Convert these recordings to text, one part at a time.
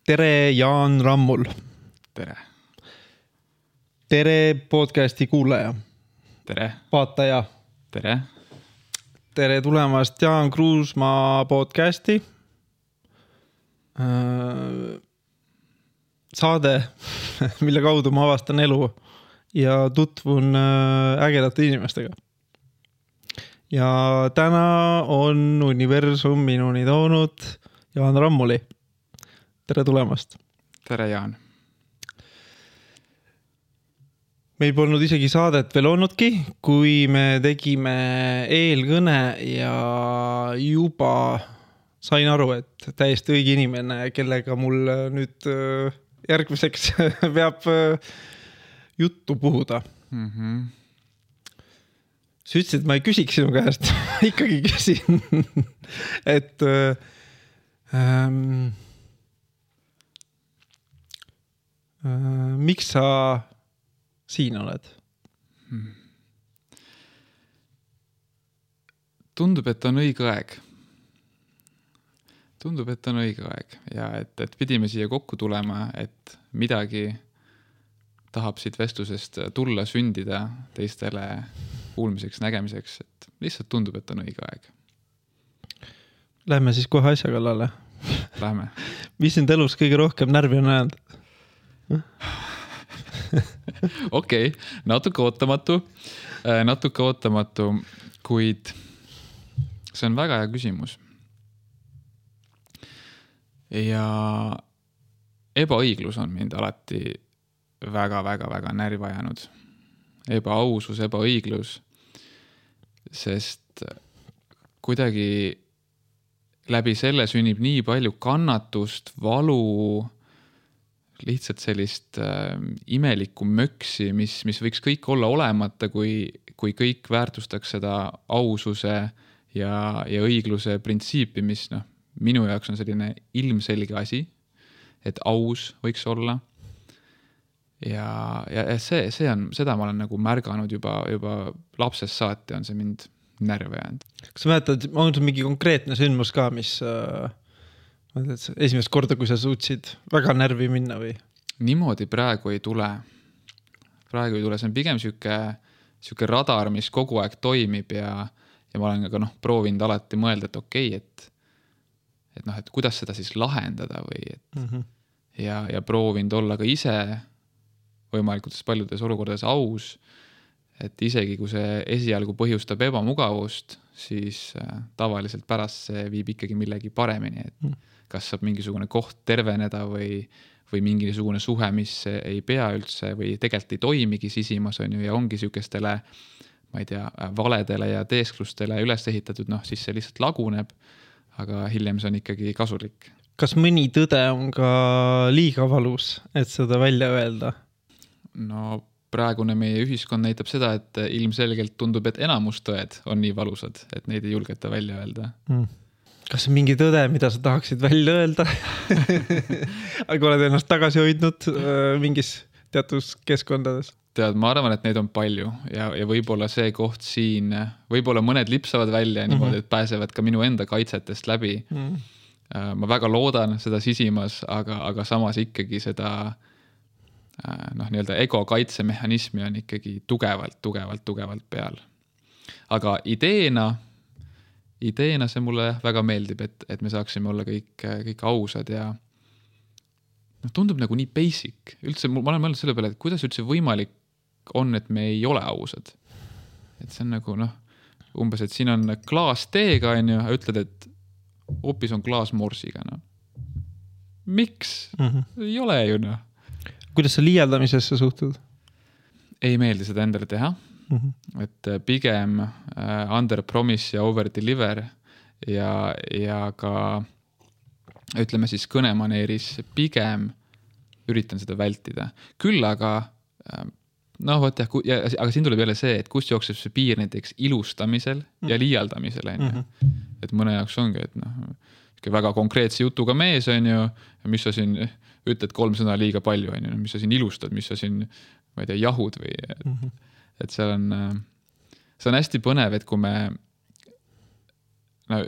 Tere, Jaan Rammul. Tere. Tere podcasti kuulaja. Tere. Vaataja. Tere. Tere tulemast Jaan Kruusmaa podcasti. Saade, mille kaudu ma avastan elu ja tutvun ägedate inimestega. Ja täna on universum minuni toonud Jaan Rammuli. Tere tulemast. Tere, Jaan. Meil polnud isegi saadet veel olnudki, kui me tegime eelkõne ja juba sain aru, et täiesti õige inimene, kellega mul nüüd järgmiseks peab juttu puhuda. Sa ütlesid, et ma ei küsiks sinu käest, ma ikkagi küsin, et miks sa siin oled? Tundub, et on õige aeg. Ja et pidime siia kokku tulema, et midagi tahab siit vestlusest tulla, sündida teistele kuulmiseks, nägemiseks, et lihtsalt tundub, et on õige aeg. Lähme siis kohe asja kallale. Lähme. Mis sind elus kõige rohkem närvi on ajanud? Okei, natuke ootamatu, kuid see on väga hea küsimus. Ja ebaõiglus on mind alati väga närvi ajanud. Ebaausus, ebaõiglus, sest kuidagi läbi selle sünnib nii palju kannatust, valu, lihtsalt sellist imelikku möksi, mis võiks kõik olla olemata, kui kõik väärtustaks seda aususe ja õigluse printsiipi, mis minu jaoks on selline ilmselge asi, et aus võiks olla. Ja see on, seda ma olen nagu märganud juba lapsest saati on see mind närve jäänud. Kas sa mäletad, on sul mingi konkreetne sündmus ka, mis esimest korda, kui sa suutsid väga närvi minna või? Niimoodi praegu ei tule. See on pigem siuke radar, mis kogu aeg toimib ja ma olen ka proovinud alati mõelda, et okei, et kuidas seda siis lahendada või ja proovinud olla ka ise võimalikult paljudes olukordades aus, et isegi kui see esialgu põhjustab ebamugavust, siis tavaliselt pärast see viib ikkagi millegi paremini, et kas saab mingisugune koht terveneda või mingisugune suhe, mis ei pea üldse või tegelikult ei toimigi sisimas on ju ja ongi siukestele, ma ei tea, valedele ja teesklustele üles ehitatud, siis see lihtsalt laguneb, aga hiljem see on ikkagi kasulik. Kas mõni tõde on ka liiga valus, et seda välja öelda? No praegune meie ühiskond näitab seda, et ilmselgelt tundub, et enamus tõed on nii valusad, et neid ei julgeta välja öelda. Kas on mingi tõde, mida sa tahaksid välja öelda? Aga oled ennast tagasi hoidnud mingis teatud keskkondades? Tead, ma arvan, et neid on palju ja võib-olla see koht siin, võib-olla mõned lipsavad välja niimoodi, et pääsevad ka minu enda kaitsetest läbi. Ma väga loodan seda sisimas, aga samas ikkagi seda nii-öelda ego kaitsemehhanismi on ikkagi tugevalt peal. Aga ideena see mulle väga meeldib, et me saaksime olla kõik ausad ja tundub nagu nii basic. Üldse, ma olen mõelnud selle peale, et kuidas üldse võimalik on, et me ei ole ausad. Et see on nagu umbes, et siin on klaas teega, on ju, ütled, et hoopis on klaas morsiga. Miks? Ei ole ju, Kuidas sa liialdamisesse suhtud? Ei meeldi seda endale teha. Et pigem under promise ja over deliver ja ka ütleme siis kõnemaneeris pigem üritan seda vältida. Küll aga aga siin tuleb jälle see, et kust jookseb see piir näiteks ilustamisel ja liialdamisel. Et mõne jaoks ongi, et väga konkreetse jutuga mees on ju, mis sa siin ütled 3 sõna liiga palju on ju, mis sa siin ilustad, mis sa siin, ma ei tea, jahud või et see on hästi põnev, et kui me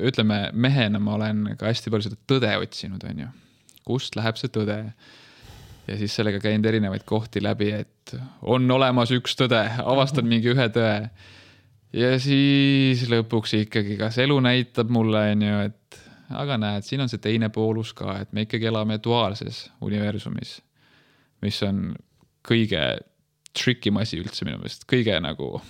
ütleme mehena, ma olen ka hästi palju seda tõde otsinud, on ju. kust läheb see tõde. Ja siis sellega käinud erinevaid kohti läbi, et on olemas üks tõde, avastan mingi ühe tõe. Ja siis lõpuks ikkagi, kas elu näitab mulle, et aga näed, siin on see teine poolus ka, et me ikkagi elame duaalses universumis, mis on kõige trickim asi üldse minu meelest, kõige nagu,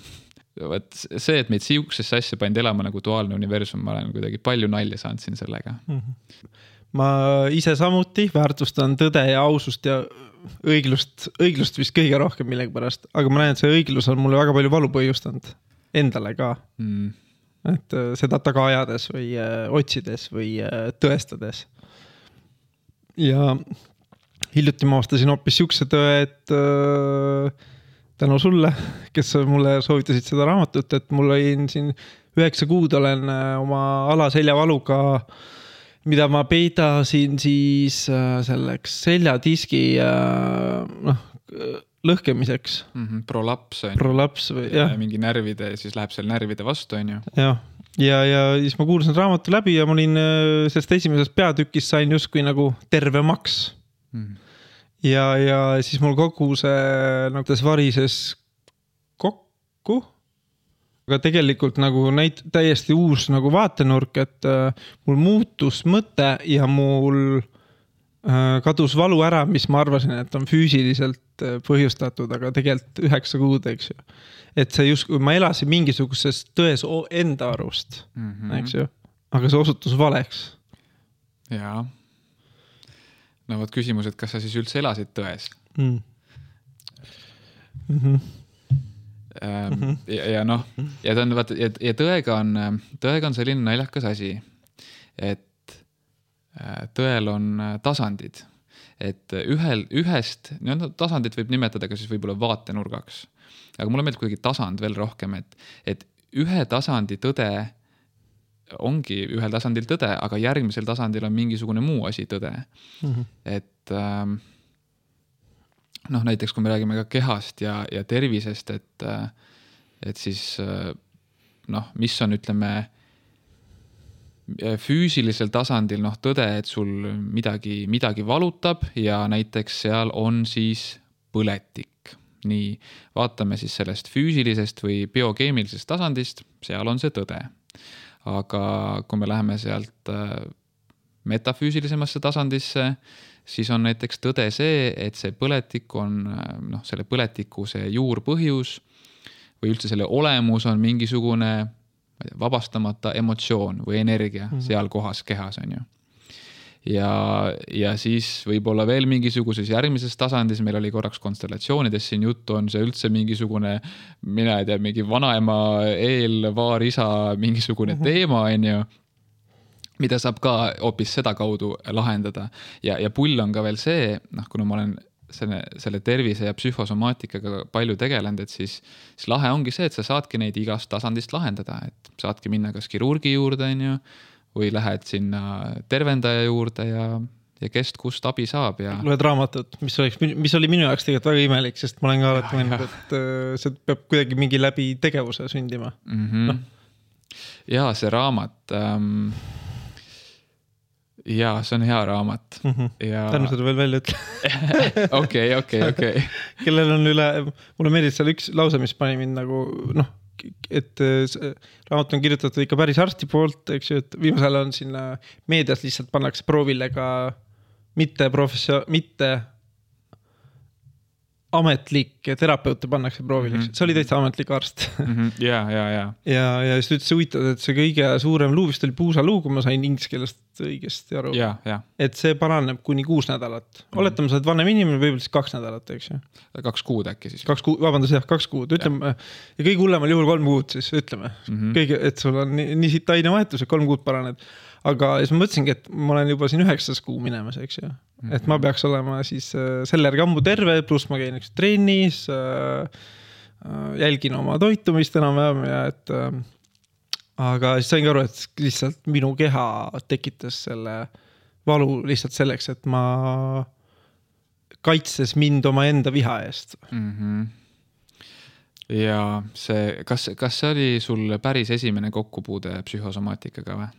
see, et meid siuksesse asja pandi elama nagu duaalne universum, ma olen kuidagi palju nalja saanud siin sellega. Ma ise samuti väärtustan tõde ja ausust ja õiglust vist kõige rohkem millegi pärast, aga ma näen, et see õiglus on mulle väga palju valu põhjustanud endale ka. Et seda taga ajades või otsides või tõestades. Ja hiljuti ma avastasin hoopis siukse tõe, et tänu sulle, kes mulle soovitasid seda raamatut, et mul olin siin 9 kuud olen oma alaseljavaluga, mida ma peidasin siis selleks seljadiski lõhkemiseks. Prolaps on. Prolaps või, jah. Mingi närvide, siis läheb seal närvide vastu, on ju. Jah. Ja siis ma kuulsin raamatu läbi ja ma olin sellest esimesest peatükist sain justkui nagu terve maks. Ja siis mul kogu see nagu varises kokku. Aga tegelikult nagu täiesti uus nagu vaatenurk, et mul muutus mõte ja mul kadus valu ära, mis ma arvasin, et on füüsiliselt põhjustatud, aga tegelikult 9 kuud, eks ju. Et see just, kui ma elasin mingisuguses tões enda arust, eks ju, aga see osutus valeks. Jaa. No võt küsimus, et kas sa siis üldse elasid tões? Ja noh, ja tõega on selline naljakas asi, et tõel on tasandid, et ühest tasandit võib nimetada ka siis võib-olla vaatenurgaks, aga mulle meeldib kuidagi tasand veel rohkem, et ühe tasandi tõde ongi ühel tasandil tõde, aga järgmisel tasandil on mingisugune muu asi tõde. Et näiteks kui me räägime ka kehast ja tervisest, et siis mis on, ütleme, füüsilisel tasandil tõde, et sul midagi valutab ja näiteks seal on siis põletik. Nii, vaatame siis sellest füüsilisest või biokeemilisest tasandist, seal on see tõde. Aga kui me läheme sealt metafüüsilisemasse tasandisse, siis on näiteks tõde see, et see põletik on, selle põletiku see juurpõhjus või üldse selle olemus on mingisugune vabastamata emotsioon või energia seal kohas kehas, on ju. Ja siis võib-olla veel mingisuguses järgmises tasandis, meil oli korraks konstellatsioonides siin juttu, on see üldse mingisugune, mina ei tea, mingi vanaema eelvaarisa mingisugune teema, on ju, mida saab ka hoopis seda kaudu lahendada. Ja pull on ka veel see, kuna ma olen selle tervise ja psühhosomaatikaga palju tegelenud, et siis lahe ongi see, et sa saadki neid igast tasandist lahendada, et saadki minna kas kirurgi juurde, on ju, või lähed sinna tervendaja juurde ja kest kust abi saab. Ja loed raamatut, mis oli minu jaoks tegelikult väga imelik, sest ma olen ka alati mõelnud, et see peab kuidagi mingi läbi tegevuse sündima. Ja see raamat, ja see on hea raamat. Tänu seda veel välja ütle. Okei. Kellel on mulle meeldib seal üks lause, mis pani mind nagu, et raamat on kirjutatud ikka päris arsti poolt, eks ju, et viimasel on siin meedias lihtsalt pannakse proovile ka mitte ametlik terapeute pannakse proovile. See oli täitsa ametlik arst. Ja siis ütles huvitav, et see kõige suurem luu vist oli puusaluu, kui ma sain inglise keelest õigesti aru. Et see paraneb kuni 6 nädalat. Oletame, sa oled vanem inimene, võib-olla siis 2 nädalat, eks ju. 2 kuud äkki siis. 2 kuud, ütleme. Ja kõige hullemal juhul 3 kuud siis, ütleme. Et sul on nii siit ainevahetus, et 3 kuud paraned. Aga siis ma mõtlesingi, et ma olen juba siin 9. kuu minemas, eks ju. Et ma peaks olema siis selle järgi ammu terve, pluss ma käin trennis, jälgin oma toitumist enam-vähem ja aga siis sain ka aru, et lihtsalt minu keha tekitas selle valu lihtsalt selleks, et ma kaitses mind oma enda viha eest. Ja kas see oli sul päris esimene kokkupuude psühhosomaatikaga või?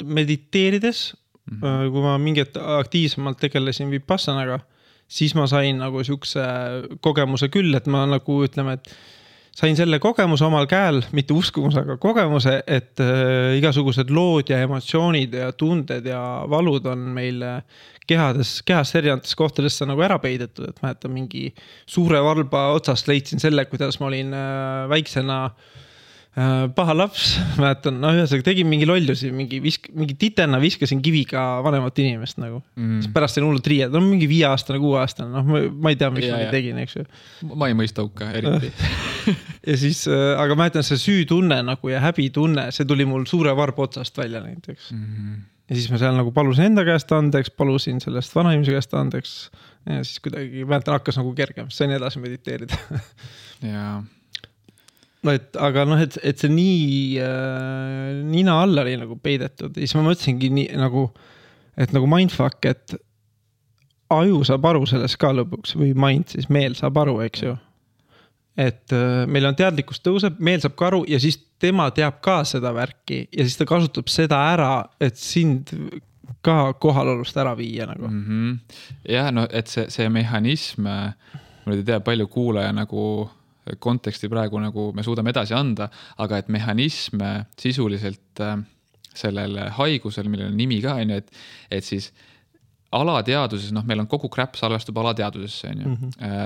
Mediteerides kui ma mingit aktiivsemalt tegelesin Vipassanaga, siis ma sain nagu siukse kogemuse küll, et ma nagu ütleme, et sain selle kogemuse omal käel, mitte uskumus, aga kogemuse, et igasugused lood ja emotsioonid ja tunded ja valud on meil kehast erinevates kohtadesse nagu ära peidetud, et mäletan mingi suure valba otsast leidsin selle, kuidas ma olin väiksena paha laps, mäletan, ühesõnaga tegin mingi lollusi, mingi titena viskasin kiviga vanemat inimest nagu. Pärast sain hullult riied, mingi 5-aastane, 6-aastane, ma ei tea, miks ma tegin, eks ju. Ma ei mõista hukka, eriti. Ja siis, aga mäletan, see süütunne nagu ja häbitunne, see tuli mul suure varba otsast välja näiteks. Ja siis ma seal nagu palusin enda käest andeks, palusin sellest vanainimese käest andeks ja siis kuidagi mäletan, hakkas nagu kergem, sain edasi mediteerida. Jaa. No, aga et see nii nina alla oli nagu peidetud ja siis ma mõtlesingi nii, nagu, et nagu mindfuck, et aju saab aru sellest ka lõpuks või mind, siis meel saab aru, eks ju. Et meil on teadlikkus tõuseb, meel saab ka aru ja siis tema teab ka seda värki ja siis ta kasutab seda ära, et sind ka kohalolust ära viia nagu. Ja, no, et see mehhanism, ma ei tea, palju kuulaja nagu konteksti praegu nagu me suudame edasi anda, aga et mehhanism sisuliselt sellel haigusel, millel on nimi ka, et siis alateaduses, meil on kogu crap salvestub alateadusesse,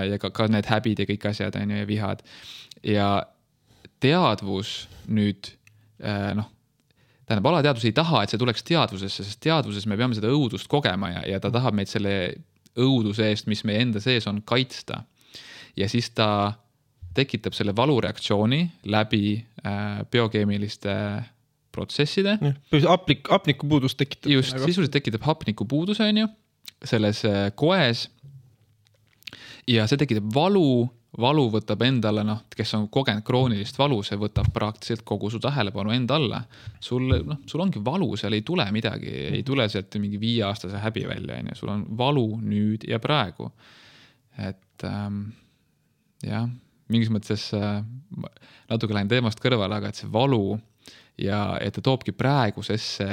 ja ka need häbid ja kõik asjad, ja vihad. Ja teadvus nüüd, tähendab, alateadus ei taha, et see tuleks teadvusesse, sest teadvuses me peame seda õudust kogema ja ta tahab meid selle õuduse eest, mis meie enda sees on, kaitsta. Ja siis ta tekitab selle valureaktsiooni läbi biokeemiliste protsesside. Hapnikupuudus tekitab. Just, sisuliselt tekitab hapnikupuudus, on ju, selles koes. Ja see tekitab valu võtab endale, kes on kogenud kroonilist valu, see võtab praktiliselt kogu su tähelepanu enda alla. Sul ongi valu, seal ei tule midagi, ei tule sealt mingi 5-aastase häbi välja, on ju. Sul on valu nüüd ja praegu. Et jah, mingis mõttes natuke lähen teemast kõrvale, aga et see valu ja et ta toobki praegusesse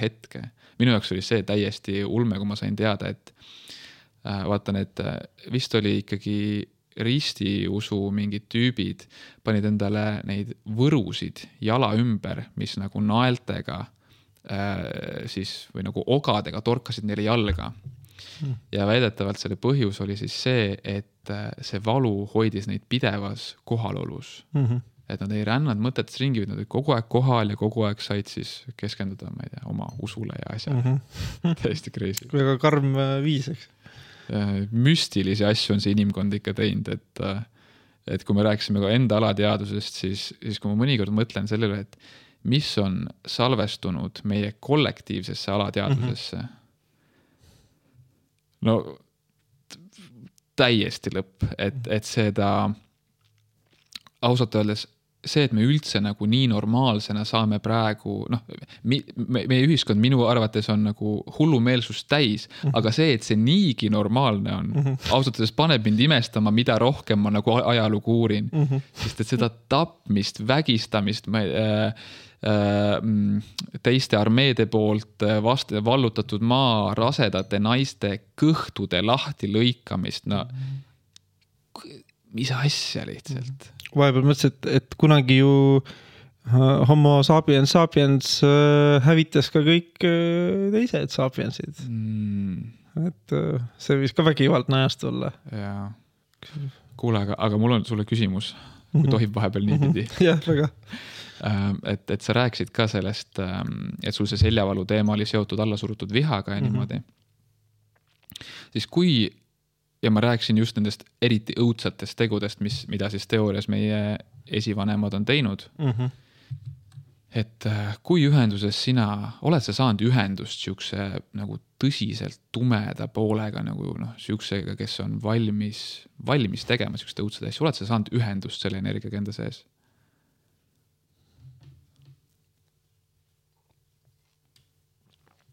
hetke. Minu jaoks oli see täiesti ulme, kui ma sain teada, et vaatan, et vist oli ikkagi ristiusu mingid tüübid, panid endale neid võrusid jala ümber, mis nagu naeltega siis, või nagu ogadega torkasid neile jalga. Ja väidetavalt selle põhjus oli siis see, et see valu hoidis neid pidevas kohalolus. Et nad ei rännanud mõtetes ringi, nad olid kogu aeg kohal ja kogu aeg said siis keskenduda, ma ei tea, oma usule ja asja. Täiesti crazy. Väga karm viis, eks? Müstilisi asju on see inimkond ikka teinud, et kui me rääkisime ka enda alateadusest, siis kui ma mõnikord mõtlen sellele, et mis on salvestunud meie kollektiivsesse alateadusesse, no täiesti lõpp, et seda ausalt öeldes see, et me üldse nagu nii normaalsena saame praegu, meie ühiskond minu arvates on nagu hullumeelsust täis, aga see, et see niigi normaalne on, ausalt öeldes paneb mind imestama, mida rohkem ma nagu ajalugu uurin, sest et seda tapmist, vägistamist, teiste armeede poolt vallutatud maa, rasedate naiste kõhtude lahti lõikamist, mis asja lihtsalt. Vahepeal mõtlesin, et kunagi ju homo sapiens hävitas ka kõik teised sapiensid. Et see võis ka vägivaldne ajast olla. Jaa. Kuule, aga mul on sulle küsimus, kui tohib vahepeal niipidi. Jah, väga. Et sa rääkisid ka sellest, et sul see seljavalu teema oli seotud allasurutud vihaga ja niimoodi. Siis kui, ja ma rääkisin just nendest eriti õudsatest tegudest, mida siis teoorias meie esivanemad on teinud, et kui ühenduses oled sa saanud ühendust siukse nagu tõsiselt tumeda poolega, nagu siuksega, kes on valmis tegema siukeste õudsad asju, oled sa saanud ühendust selle energiaga enda sees?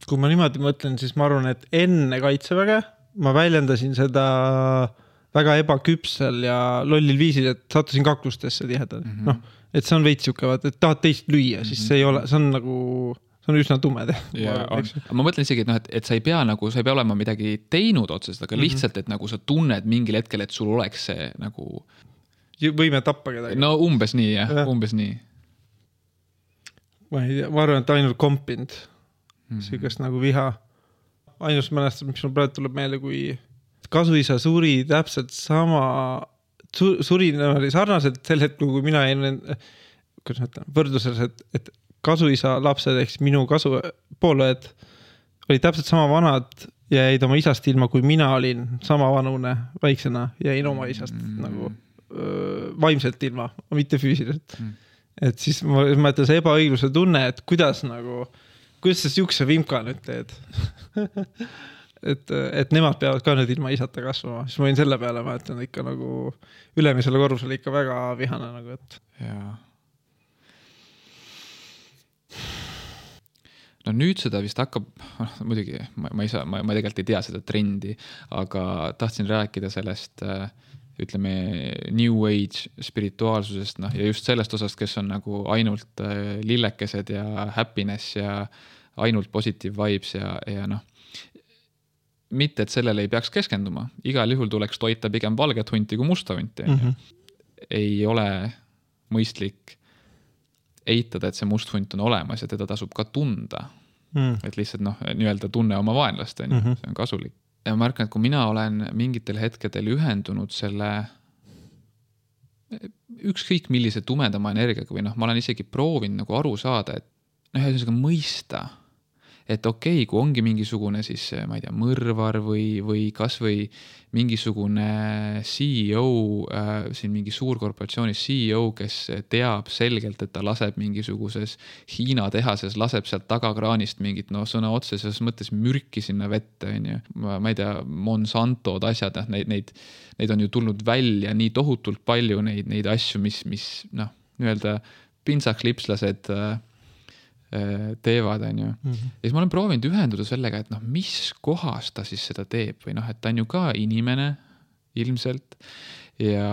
Kui ma niimoodi mõtlen, siis ma arvan, et enne kaitseväge ma väljendasin seda väga ebaküpsel ja lollil viisil, et sattusin kaklustesse tihedalt. Et see on veits siuke, et tahad teist lüüa, siis see ei ole, see on nagu, see on üsna tume. Ma mõtlen isegi, et sa ei pea nagu, sa ei pea olema midagi teinud otsest, aga lihtsalt, et nagu sa tunned mingil hetkel, et sul oleks see nagu võime tappa kedagi. No umbes nii, jah. Umbes nii. Ma ei tea, ma arvan, et ainult kompinud süükest nagu viha. Ainus mälestab, mis mul praegu tuleb meelde, kui kasuisa suri täpselt suri sarnaselt sel hetkel, kui mina jäin võrdluses, et kasuisa lapsed, ehk minu pooled olid täpselt sama vanad ja jäid oma isast ilma, kui mina olin sama vanune väiksena ja jäin oma isast nagu vaimselt ilma, mitte füüsiliselt. Et siis ma mõtlen see ebaõigluse tunne, et kuidas sa siukse vimka nüüd teed. et nemad peavad ka nüüd ilma isata kasvama. Siis ma olin selle peale, ma ütlen ikka nagu ülemisele korrusele ikka väga vihane nagu, et. Jaa. No nüüd seda vist hakkab, muidugi, ma tegelikult ei tea seda trendi, aga tahtsin rääkida sellest, ütleme, New Age spirituaalsusest, ja just sellest osast, kes on nagu ainult lillekesed ja happiness ja ainult positive vibes ja mitte, et sellele ei peaks keskenduma. Igal juhul tuleks toita pigem valget hunti kui musta hunti. Ei ole mõistlik eitada, et see must hunt on olemas ja teda tasub ka tunda. Et lihtsalt nii-öelda tunne oma vaenlast, see on kasulik. Ja ma märkan, et kui mina olen mingitel hetkedel ühendunud selle ükskõik millise tumedama energiaga või ma olen isegi proovinud nagu aru saada, et mõista, et okei, kui ongi mingisugune siis, ma ei tea, mõrvar või kas või mingisugune CEO, siin mingi suurkorporatsiooni CEO, kes teab selgelt, et ta laseb mingisuguses Hiina tehases, laseb sealt tagakraanist mingit, sõna otseses mõttes mürki sinna vette, ma ei tea, Monsantod asjad, neid on ju tulnud välja nii tohutult palju neid asju, mis nii-öelda pintsakslipslased teevad, Ja siis ma olen proovinud ühenduda sellega, et mis kohas ta siis seda teeb või et ta on ju ka inimene ilmselt ja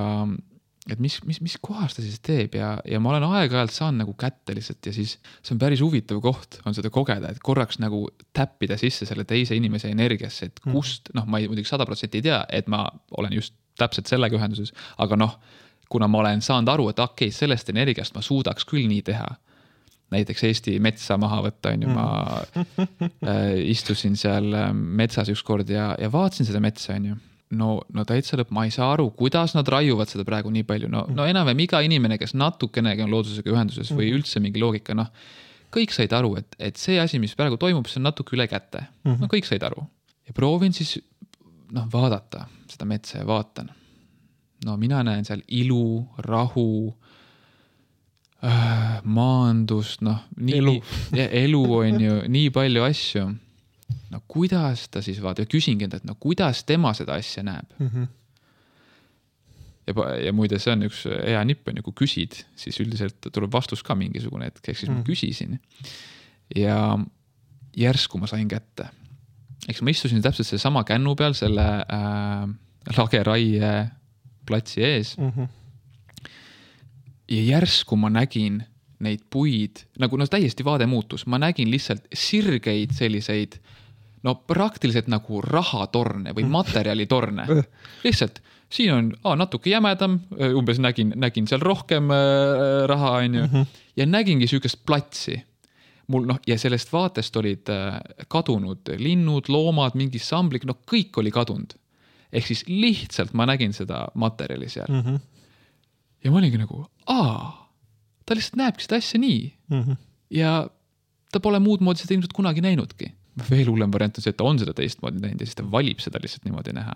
et mis kohas ta siis teeb ja ma olen aeg-ajalt saanud nagu kätte lihtsalt ja siis see on päris huvitav koht on seda kogeda, et korraks nagu täppida sisse selle teise inimese energiasse, et kust, ma ei muidugi 100% ei tea, et ma olen just täpselt sellega ühenduses, aga kuna ma olen saanud aru, et okei, sellest energiast ma suudaks küll nii teha, näiteks Eesti metsa maha võtta, ma istusin seal metsas ükskord ja vaatasin seda metsa, No täitsa lõpp, ma ei saa aru, kuidas nad raiuvad seda praegu nii palju. No enam iga inimene, kes natukenegi on loodusega ühenduses või üldse mingi loogika, kõik said aru, et see asi, mis praegu toimub, see on natuke üle kätte. Kõik said aru. Ja proovin siis vaadata seda metsa ja vaatan. Mina näen seal ilu, rahu, maandust, elu on ju nii palju asju. Kuidas ta siis vaata ja küsingi enda, et kuidas tema seda asja näeb. Ja muide, see on üks hea nipp, kui küsid, siis üldiselt tuleb vastus ka mingisugune, et siis ma küsisin. Ja järsku ma sain kätte. Eks ma istusin täpselt see sama kännu peal selle lageraie platsi ees. Ja järsku ma nägin neid puid, nagu täiesti vaade muutus. Ma nägin lihtsalt sirgeid selliseid, praktiliselt nagu rahatorne või materjalitorne. Lihtsalt, siin on natuke jämedam, umbes nägin seal rohkem raha, ja nägingi süükest platsi. Ja sellest vaatest olid kadunud linnud, loomad, mingi samblik, kõik oli kadunud. Ehk siis lihtsalt ma nägin seda materjali seal. Ja ma olingi nagu, ta lihtsalt näebki seda asja nii. Ja ta pole muud moodi seda ilmselt kunagi näinudki. Veel hullem variant on see, et ta on seda teistmoodi näinud ja siis ta valib seda lihtsalt niimoodi näha.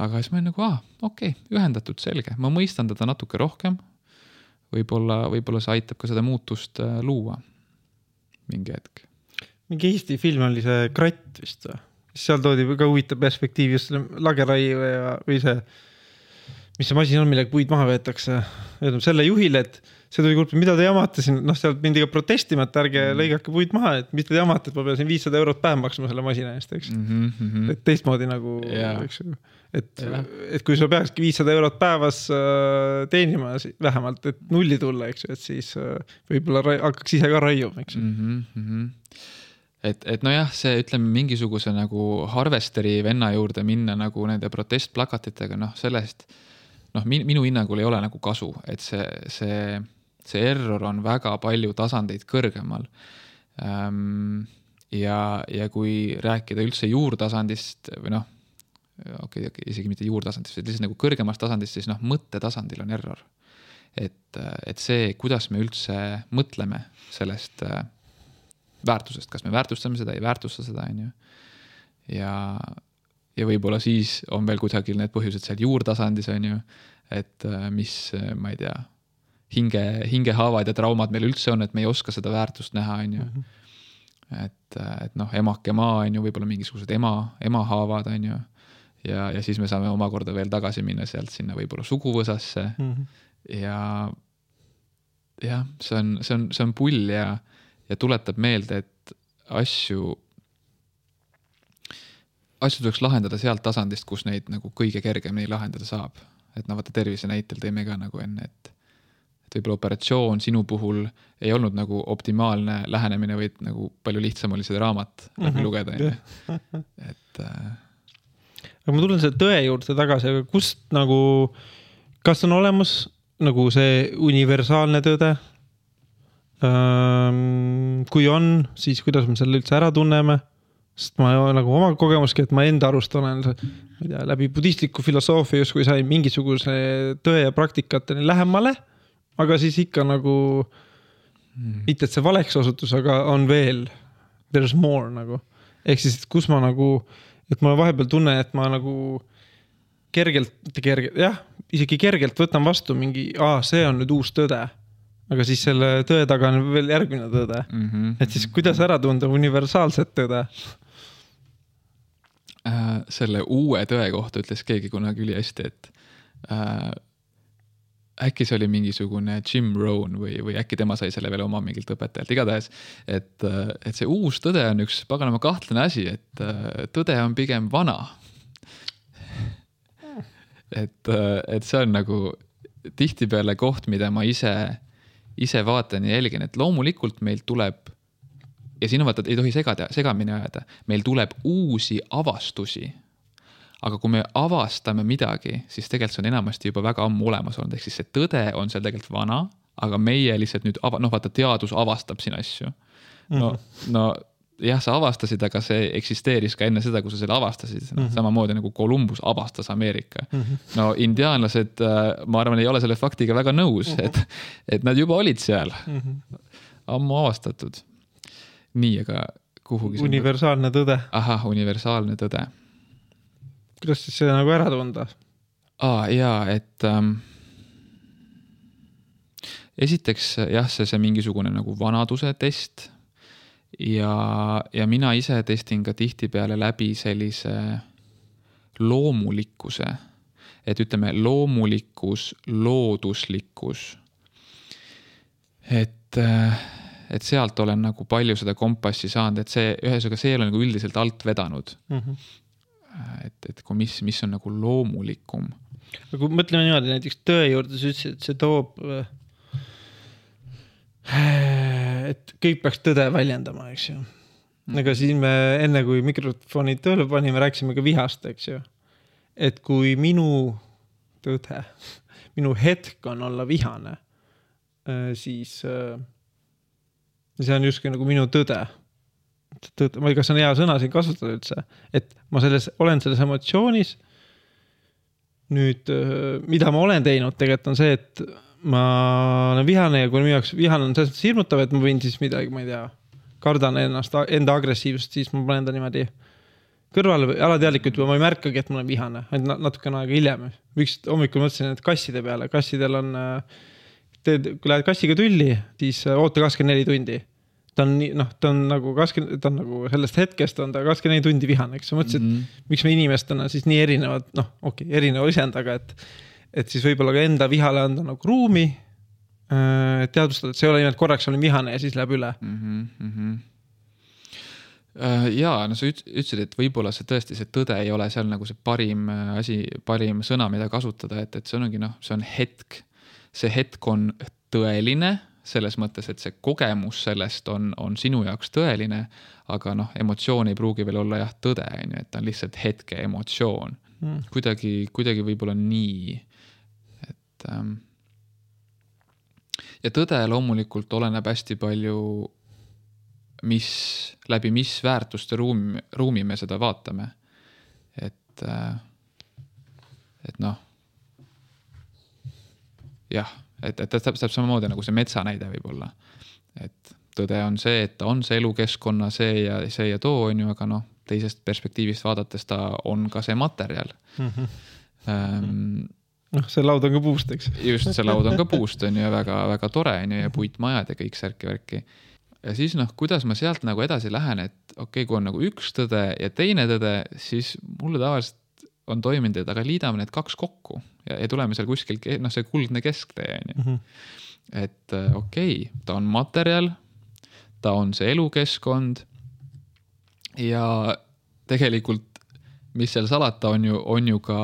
Aga siis ma olin nagu, okei, ühendatud, selge. Ma mõistan teda natuke rohkem. Võib-olla see aitab ka seda muutust luua mingi hetk. Mingi Eesti film oli see Kratt vist. Seal toodi ka huvitav perspektiiv just selle lageraie või see mis see masin on, millega puid maha veetakse. Selle juhile, et see tuli kurb, mida te jamate siin, sealt mindi ka protestima, et ärge lõigake puid maha, et mis te jamate, et ma pean siin 500 eurot päev maksma selle masina eest, eks. Et teistmoodi nagu, eks, et kui sul peakski 500 eurot päevas teenima vähemalt, et nulli tulla, eks, et siis võib-olla hakkaks ise ka raiuma, eks. Et nojah, see ütleme mingisuguse nagu harvesteri venna juurde minna nagu nende protestplakatitega, sellest minu hinnangul ei ole nagu kasu, et see error on väga palju tasandeid kõrgemal. Ja kui rääkida üldse juurtasandist või isegi mitte juurtasandist, et lihtsalt nagu kõrgemast tasandist, siis mõttetasandil on error. Et see, kuidas me üldse mõtleme sellest väärtusest, kas me väärtustame seda, ei väärtusta seda, on ju. Ja võib-olla siis on veel kusagil need põhjused seal juurtasandis, on ju, et mis, ma ei tea, hingehaavad ja traumad meil üldse on, et me ei oska seda väärtust näha, on ju. Et emake maa, on ju, võib-olla mingisugused emahaavad, on ju. Ja siis me saame omakorda veel tagasi minna sealt sinna võib-olla suguvõsasse. Ja see on pull ja tuletab meelde, et asju tuleks lahendada sealt tasandist, kus neid nagu kõige kergemini lahendada saab. Et vaata tervise näitel teeme ka nagu enne, et võib-olla operatsioon sinu puhul ei olnud nagu optimaalne lähenemine, vaid nagu palju lihtsam oli seda raamat läbi lugeda. Et aga ma tulen selle tõe juurde tagasi, aga kust nagu, kas on olemas nagu see universaalne tõde? Kui on, siis kuidas me selle üldse ära tunneme, sest ma nagu oma kogemuski, et ma enda arust olen läbi budistliku filosoofia justkui sai mingisuguse tõe ja praktikateni lähemale, aga siis ikka nagu mitte, et see valeks osutus, aga on veel there's more nagu, ehk siis, et kus ma nagu, et ma vahepeal tunnen, et ma nagu isegi kergelt võtan vastu mingi, see on nüüd uus tõde. Aga siis selle tõe taga on veel järgmine tõde. Et siis kuidas ära tunda universaalset tõde? Selle uue tõe kohta ütles keegi kunagi üli hästi, et äkki see oli mingisugune Jim Rohn või äkki tema sai selle veel oma mingilt õpetajalt. Igatahes, et see uus tõde on üks paganama kahtlane asi, et tõde on pigem vana. Et see on nagu tihtipeale koht, mida ma ise vaatan ja jälgin, et loomulikult meil tuleb, ja siin on vaata, ei tohi segamini ajada, meil tuleb uusi avastusi, aga kui me avastame midagi, siis tegelikult see on enamasti juba väga ammu olemas olnud, ehk siis see tõde on seal tegelikult vana, aga meie lihtsalt nüüd, vaata, teadus avastab siin asju. Jah, sa avastasid, aga see eksisteeris ka enne seda, kui sa selle avastasid. Samamoodi nagu Columbus avastas Ameerika. Indiaanlased, ma arvan, ei ole selle faktiga väga nõus, et nad juba olid seal. Ammu avastatud. Nii, aga kuhugi... Universaalne tõde. Ahah, universaalne tõde. Kuidas siis see nagu ära tunda? Jaa, et esiteks jah, see mingisugune nagu vanaduse test ja mina ise testin ka tihtipeale läbi sellise loomulikkuse, et ütleme loomulikkus, looduslikkus, et sealt olen nagu palju seda kompassi saanud, et see ühesõnaga see ei ole nagu üldiselt alt vedanud. Et kui mis on nagu loomulikum. Aga kui mõtleme niimoodi näiteks tõe juurde, sa ütlesid, et see toob, et kõik peaks tõde väljendama, eks ju. Aga siis me enne kui mikrofoni tööle panime, rääksime ka vihast, eks ju. Et kui minu tõde, minu hetk on olla vihane, siis see on justkui nagu minu tõde. Ma ei, kas on hea sõna siin kasutada üldse, et ma olen selles emotsioonis. Nüüd, mida ma olen teinud tegelikult on see, et ma olen vihane ja kui minu jaoks vihane on sellest hirmutav, et ma võin siis midagi, ma ei tea, kardan enda agressiivsust, siis ma panen ta niimoodi kõrvale või alateadlikult, ma ei märkagi, et ma olen vihane, ainult natukene aega hiljem. Üks hommikul mõtlesin, et kasside peale, kassidel on, kui lähed kassiga tülli, siis oota 24 tundi. Ta on nagu sellest hetkest on ta 24 tundi vihane, eks sa mõtlesid, miks me inimestena siis nii erinevad, erineva isendaga, et siis võib-olla ka enda vihale anda nagu ruumi, teadvustada, et see ei ole nimelt korraks olen vihane ja siis läheb üle. Jaa, no sa ütlesid, et võib-olla see tõesti, see tõde ei ole seal nagu see parim asi, parim sõna, mida kasutada, et see ongi see on hetk. See hetk on tõeline, selles mõttes, et see kogemus sellest on sinu jaoks tõeline, aga emotsioon ei pruugi veel olla tõde, et ta on lihtsalt hetke emotsioon. Kuidagi võib-olla nii, et ja tõde loomulikult oleneb hästi palju, läbi mis väärtuste ruumi me seda vaatame. Et jah, et täpselt samamoodi nagu see metsa näide võib olla. Et tõde on see, et ta on see elukeskkonna see ja too on ju, aga teisest perspektiivist vaadates ta on ka see materjal. See laud on ka puust, eks? Just, see laud on ka puust on ju väga, väga tore on ju ja puitmajad ja kõik särki-värki. Ja siis kuidas ma sealt nagu edasi lähen, et okei, kui on nagu üks tõde ja teine tõde, siis mulle tavaliselt on toiminud, et aga liidame need kaks kokku ja tuleme seal kuskil, see kuldne kesktee on ju. Et okei, ta on materjal, ta on see elukeskkond ja tegelikult, mis seal salata on ju ka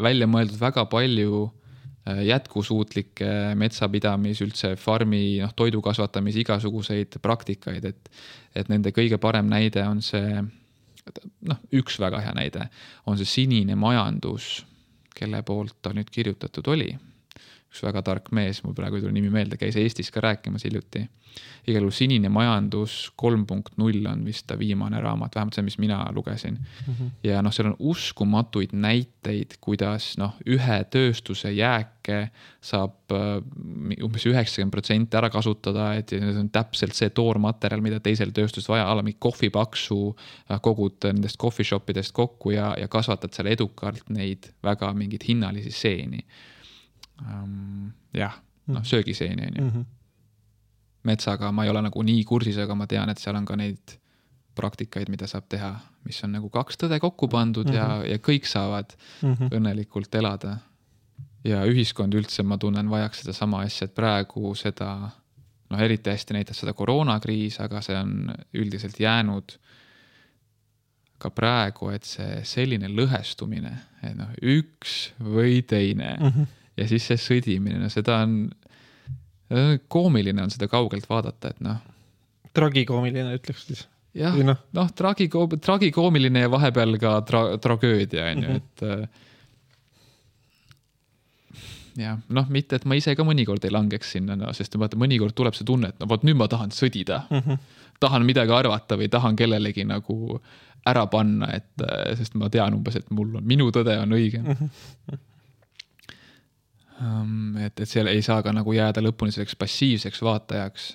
välja mõeldud väga palju jätkusuutlikke metsapidamis, üldse farmi, toidu kasvatamis, igasuguseid praktikaid, et nende kõige parem näide on see, üks väga hea näide, on see sinine majandus, kelle poolt ta nüüd kirjutatud oli. Üks väga tark mees, mul praegu ei tule nimi meelde, käis Eestis ka rääkimas hiljuti. Igal juhul sinine majandus 3.0 on vist ta viimane raamat, vähemalt see, mis mina lugesin. Ja seal on uskumatuid näiteid, kuidas ühe tööstuse jääke saab umbes 90% ära kasutada, et see on täpselt see toormaterjal, mida teisel tööstus vaja, mingi kohvipaksu kogud nendest coffee shopidest kokku ja kasvatad seal edukalt neid väga mingid hinnalisi seeni. Söögiseeni on ju. Metsaga ma ei ole nagu nii kursis, aga ma tean, et seal on ka neid praktikaid, mida saab teha, mis on nagu kaks tõde kokku pandud ja kõik saavad õnnelikult elada. Ja ühiskond üldse, ma tunnen, vajaks seda sama asja, et praegu seda, eriti hästi näitas seda koroonakriis, aga see on üldiselt jäänud ka praegu, et see selline lõhestumine, et üks või teine ja siis see sõdimine, seda on koomiline on seda kaugelt vaadata, et Tragikoomiline ütleks siis. Jah, tragikoomiline ja vahepeal ka tragöödia on ju, et jah, mitte, et ma ise ka mõnikord ei langeks sinna, sest mõnikord tuleb see tunne, et nüüd ma tahan sõdida, tahan midagi arvata või tahan kellelegi nagu ära panna, sest ma tean umbes, et minu tõde on õige. Et seal ei saa ka nagu jääda lõpuni selleks passiivseks vaatajaks.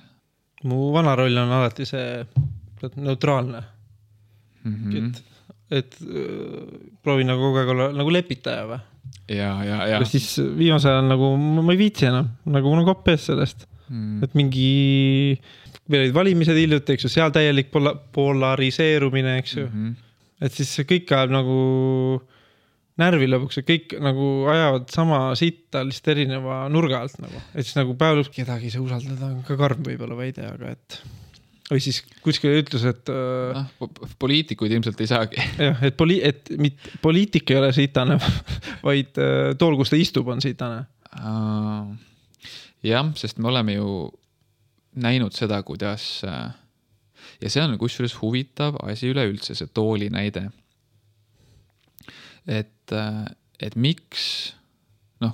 Mu vana roll on alati see neutraalne. Et proovin nagu kogu aeg olla nagu lepitaja või? Ja. Siis viimasel ajal nagu ma ei viitsi enam, nagu mul on kopp ees sellest. Et mingi veel olid valimised hiljuti, eks ju, seal täielik polariseerumine, eks ju. Et siis kõik ajab nagu närvi lõpuks ja kõik nagu ajavad sama sitta lihtsalt erineva nurga alt nagu. Et siis nagu päev lõpuks kedagi see usaldada on ka karm võib-olla veide, aga et või siis kuskil ütles, et poliitikuid ilmselt ei saagi. Jah, et poliitik ei ole sitane, vaid tool, kus ta istub, on sitane. Jah, sest me oleme ju näinud seda, kuidas ja see on kusjuures huvitav asi üleüldse, see tooli näide. Et miks,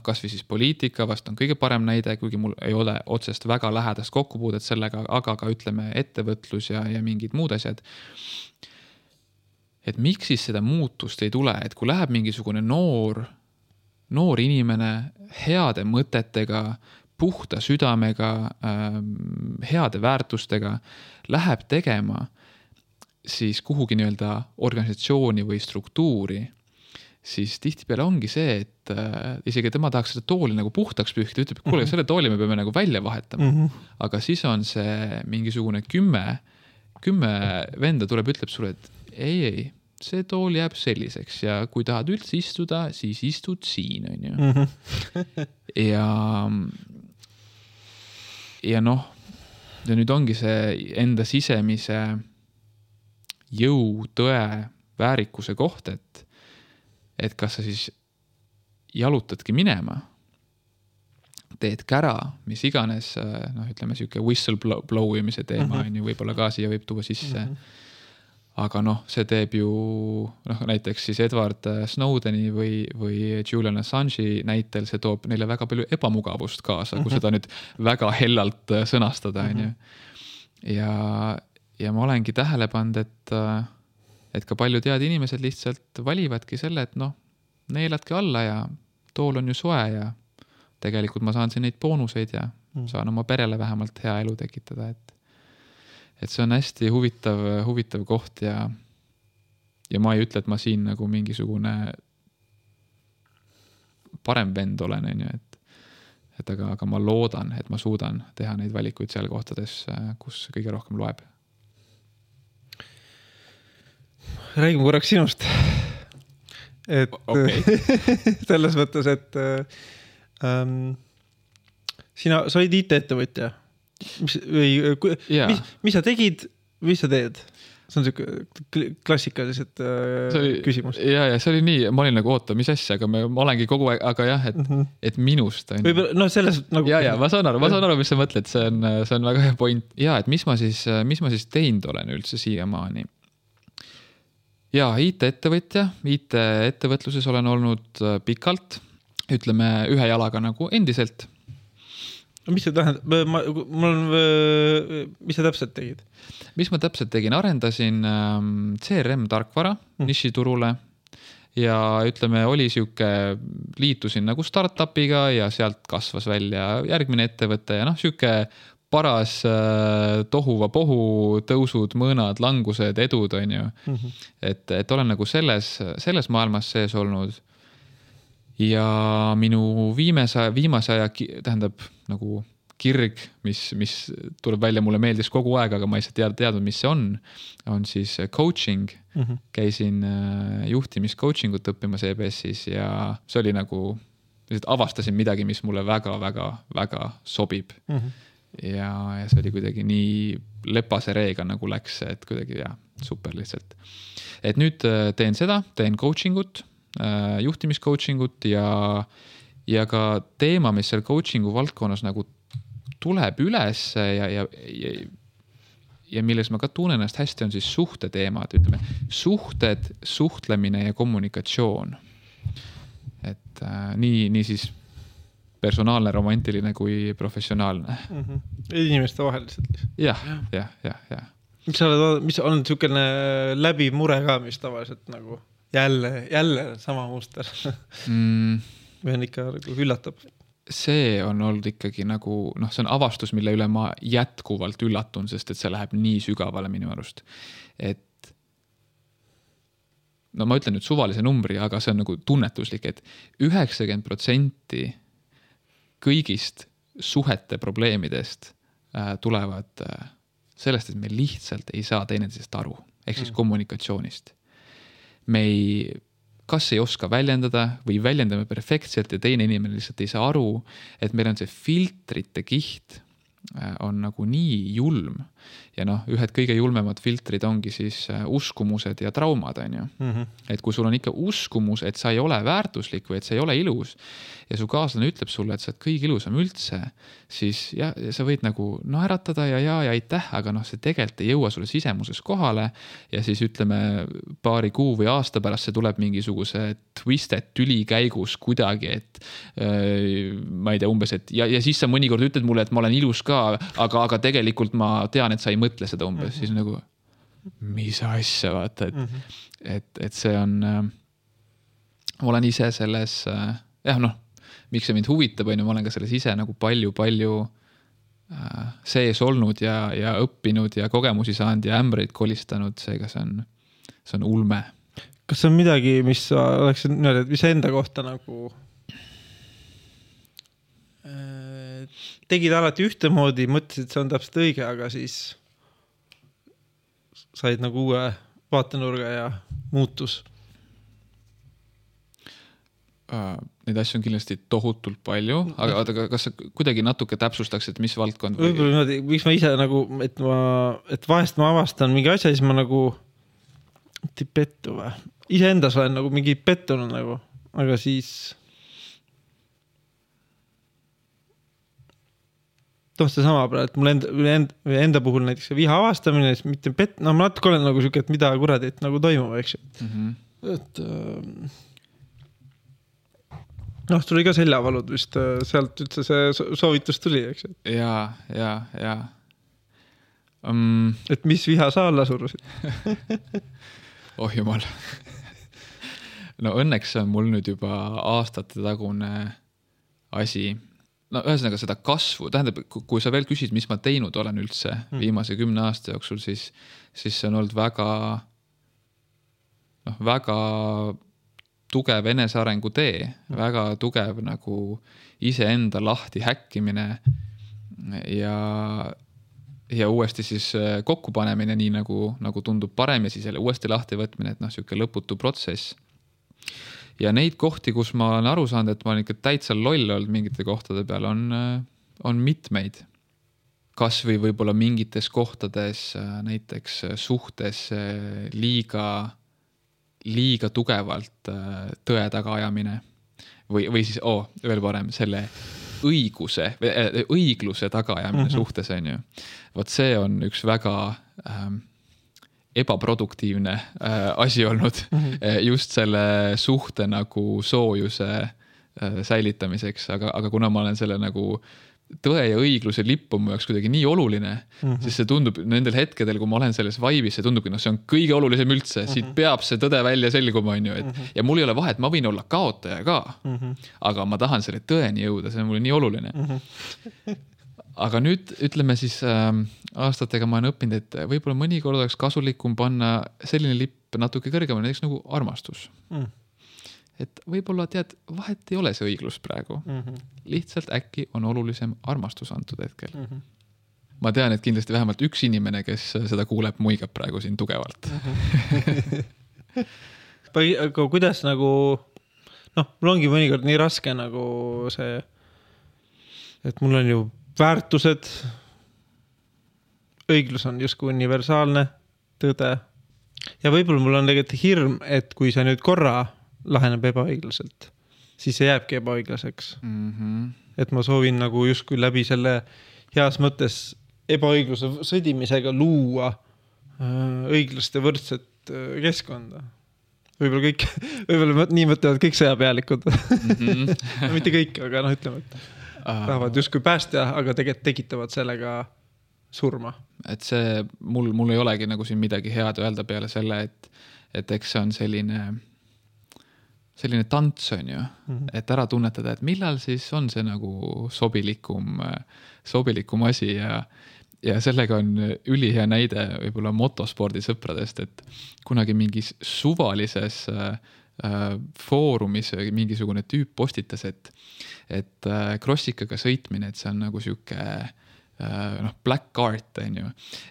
kas või siis poliitika vast on kõige parem näide, kuigi mul ei ole otsest väga lähedast kokkupuudet sellega, aga ka ütleme ettevõtlus ja mingid muud asjad. Et miks siis seda muutust ei tule, et kui läheb mingisugune noor inimene heade mõtetega, puhta südamega, heade väärtustega, läheb tegema siis kuhugi nii-öelda organisatsiooni või struktuuri, siis tihtipeale ongi see, et isegi tema tahaks seda tooli nagu puhtaks pühkida, ütleb, et kuule, selle tooli me peame nagu välja vahetama. Aga siis on see mingisugune 10 venda tuleb, ütleb sulle, et ei, see tool jääb selliseks ja kui tahad üldse istuda, siis istud siin, on ju. ja noh, ja nüüd ongi see enda sisemise jõu, tõe, väärikuse koht, et kas sa siis jalutadki minema, teed kära, mis iganes, noh, ütleme siuke whistleblow imise teema on ju, võib-olla ka siia võib tuua sisse. Aga noh, see teeb ju, noh, näiteks siis Edward Snowdeni või Julian Assange'i näitel, see toob neile väga palju ebamugavust kaasa, kui seda nüüd väga hellalt sõnastada, on ju. Ja ma olengi tähele pannud, et ka paljud head inimesed lihtsalt valivadki selle, et noh, neeladki alla ja tool on ju soe ja tegelikult ma saan siin neid boonuseid ja saan oma perele vähemalt hea elu tekitada, et see on hästi huvitav koht ja ma ei ütle, et ma siin nagu mingisugune parem vend olen, on ju, et aga ma loodan, et ma suudan teha neid valikuid seal kohtades, kus kõige rohkem loeb. Räägime korraks sinust. Et okay. Selles mõttes, et sa olid IT-ettevõtja. Mis sa tegid, mis sa teed? See on selline klassikalised küsimus. Ja see oli nii, ma olin nagu oota, mis asja, aga ma olengi kogu aeg, aga jah, et minust on. No selles nagu... Ja, ma saan aru, mis sa mõtled, see on väga hea point. Ja, et mis ma siis teinud olen üldse siiamaani. Ja, IT-ettevõtja, IT-ettevõtluses olen olnud pikalt, ütleme ühe jalaga nagu endiselt. Mis see tähendab? Mis sa täpselt tegid? Mis ma täpselt tegin? Arendasin CRM tarkvara nišiturule ja ütleme, oli siuke, liitusin nagu startupiga ja sealt kasvas välja järgmine ettevõte ja noh, siuke paras tohuva pohu, tõusud, mõõnad, langused, edud on ju. Et olen nagu selles maailmas sees olnud ja minu viimase aja tähendab nagu kirg, mis tuleb välja, mulle meeldis kogu aeg, aga ma ei saa teadnud, mis see on siis coaching. Käisin juhtimiscoachingut õppimas EBS-is ja see oli nagu, avastasin midagi, mis mulle väga sobib. Ja see oli kuidagi nii lepase reega nagu läks, et kuidagi super lihtsalt. Et nüüd teen coachingut, juhtimiscoachingut ja ka teema, mis seal coachingu valdkonnas nagu tuleb üles ja milles ma ka tunnen ennast hästi, on siis suhteteemad, ütleme, suhtlemine ja kommunikatsioon. Et nii siis personaalne, romantiline kui professionaalne. Inimeste vahel lihtsalt. Ja. Mis on niisugune läbi mure ka, mis tavaliselt nagu jälle sama muster? Või on ikka üllatab? See on olnud ikkagi nagu, noh, see on avastus, mille üle ma jätkuvalt üllatun, sest et see läheb nii sügavale minu arust. Et no ma ütlen nüüd suvalise numbri, aga see on nagu tunnetuslik, et 90% kõigist suhete probleemidest tulevad sellest, et me lihtsalt ei saa teineteisest aru, ehk siis kommunikatsioonist. Me kas ei oska väljendada või väljendame perfektselt ja teine inimene lihtsalt ei saa aru, et meil on see filtrite kiht on nagu nii julm ja noh, ühed kõige julmemad filtrid ongi siis uskumused ja traumad, on ju. Et kui sul on ikka uskumus, et sa ei ole väärtuslik või et sa ei ole ilus ja su kaaslane ütleb sulle, et sa oled kõige ilusam üldse, siis ja sa võid nagu naeratada ja aitäh, aga noh, see tegelikult ei jõua sulle sisemuses kohale ja siis ütleme paari kuu või aasta pärast see tuleb mingisuguse twisted tüli käigus kuidagi, et ma ei tea umbes, et ja siis sa mõnikord ütled mulle, et ma olen ilus ka, aga tegelikult ma tean, et sa ei mõtle seda umbes, siis nagu mis asja, vaata, et see on olen ise selles miks see mind huvitab, on ju, ma olen ka selles ise nagu palju sees olnud ja õppinud ja kogemusi saanud ja ämbreid kolistanud, seega see on ulme. Kas see on midagi, mis oleks mis enda kohta nagu tegid alati ühtemoodi, mõtlesid, et see on täpselt õige, aga siis said nagu vaatenurga ja muutus? Neid asju on kindlasti tohutult palju, aga kas sa kuidagi natuke täpsustaksid, mis valdkond? Võib-olla miks ma ise nagu, et vahest ma avastan mingi asja, siis ma nagu pettu või? Iseendas olen nagu mingi pettunud nagu, aga siis see sama praegu, et mul enda puhul näiteks viha avastamine, siis mitte ma natuke olen nagu siuke, et mida kuradi, et nagu toimub, eks ju. Et tuli ka seljavalud vist, sealt üldse see soovitus tuli, eks ju. Ja. Et mis viha sa alla surusid? Oh jumal. No õnneks on mul nüüd juba aastate tagune asi. No ühesõnaga seda kasvu, tähendab, kui sa veel küsid, mis ma teinud olen üldse viimase 10 aasta jooksul, siis see on olnud väga tugev enesearengu tee, väga tugev nagu iseenda lahti häkkimine ja uuesti siis kokku panemine, nii nagu tundub parem ja siis jälle uuesti lahti võtmine, et siuke lõputu protsess. Ja neid kohti, kus ma olen aru saanud, et ma olen ikka täitsa loll olnud mingite kohtade peal, on mitmeid. Kas või võib-olla mingites kohtades näiteks suhtes liiga tugevalt tõe taga ajamine või siis, veel parem, selle õigluse taga ajamine suhtes on ju. Vot see on üks väga ebaproduktiivne asi olnud just selle suhte nagu soojuse säilitamiseks, aga kuna ma olen selle nagu tõe ja õigluse lippu mu jaoks kuidagi nii oluline, siis see tundub nendel hetkedel, kui ma olen selles vaibis, see tundubki, see on kõige olulisem üldse, siit peab see tõde välja selguma, on ju, ja mul ei ole vahet, ma võin olla kaotaja ka, aga ma tahan selle tõeni jõuda, see on mulle nii oluline. Aga nüüd ütleme siis aastatega ma olen õppinud, et võib-olla mõnikord oleks kasulikum panna selline lipp natuke kõrgemale, näiteks nagu armastus. Et võib-olla tead, vahet ei ole see õiglus praegu. Lihtsalt äkki on olulisem armastus antud hetkel. Ma tean, et kindlasti vähemalt üks inimene, kes seda kuuleb, muigab praegu siin tugevalt. Aga kuidas nagu, mul ongi mõnikord nii raske nagu see, et mul on ju väärtused, õiglus on justkui universaalne, tõde. Ja võib-olla mul on tegelikult hirm, et kui see nüüd korra laheneb ebaõiglaselt, siis see jääbki ebaõiglaseks. Et ma soovin nagu justkui läbi selle heas mõttes ebaõigluse sõdimisega luua õiglast ja võrdset keskkonda. Võib-olla nii mõtlevad kõik sõjapealikud. Mitte kõik, aga ütleme, et tahavad justkui päästa, aga tegelikult tekitavad sellega surma. Et see, mul ei olegi nagu siin midagi head öelda peale selle, et eks see on selline tants on ju, et ära tunnetada, et millal siis on see nagu sobilikum asi ja sellega on ülihea näide võib-olla motospordi sõpradest, et kunagi mingis suvalises foorumis mingisugune tüüp postitas, et krossikaga sõitmine, et see on nagu siuke black art on ju,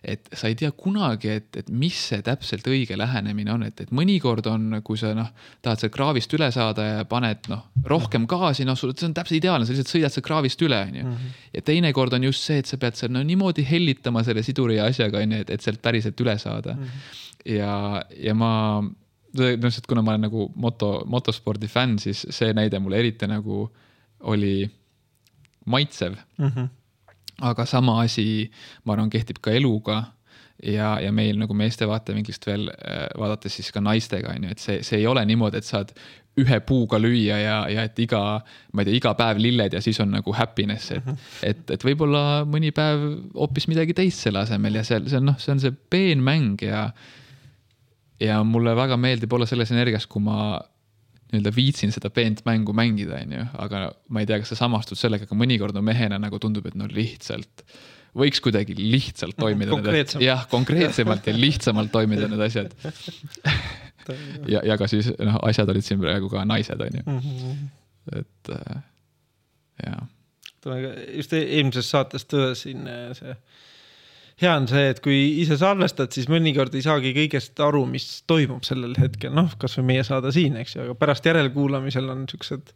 et sa ei tea kunagi, et mis see täpselt õige lähenemine on, et mõnikord on, kui sa tahad seal kraavist üle saada ja paned rohkem gaasi, see on täpselt ideaalne, sa lihtsalt sõidad seal kraavist üle on ju. Ja teinekord on just see, et sa pead seal niimoodi hellitama selle siduri asjaga on ju, et sealt päriselt üle saada. Ja ma kuna ma olen nagu motospordi fänn, siis see näide mulle eriti nagu oli maitsev. Aga sama asi, ma arvan, kehtib ka eluga ja meil nagu meeste vaatevinklist veel vaadates siis ka naistega, et see ei ole niimoodi, et saad ühe puuga lüüa ja et iga päev lilled ja siis on nagu happiness, et võib-olla mõni päev hoopis midagi teist selle asemel ja see on see peen mäng ja mulle väga meeldib olla selles energias, kui ma viitsin seda peent mängu mängida, aga ma ei tea, kas sa samastud sellega, aga mõnikord mehena nagu tundub, et lihtsalt võiks kuidagi lihtsalt toimida. Konkreetsemalt ja lihtsamalt toimida need asjad. ja ka siis asjad olid siin praegu ka naised, on ju. Et jah. Just eelmises saates tõdesin see hea on see, et kui ise salvestad, siis mõnikord ei saagi kõigest aru, mis toimub sellel hetkel. Noh, kas või meie saada siin, eks ju, aga pärast järelkuulamisel on niisugused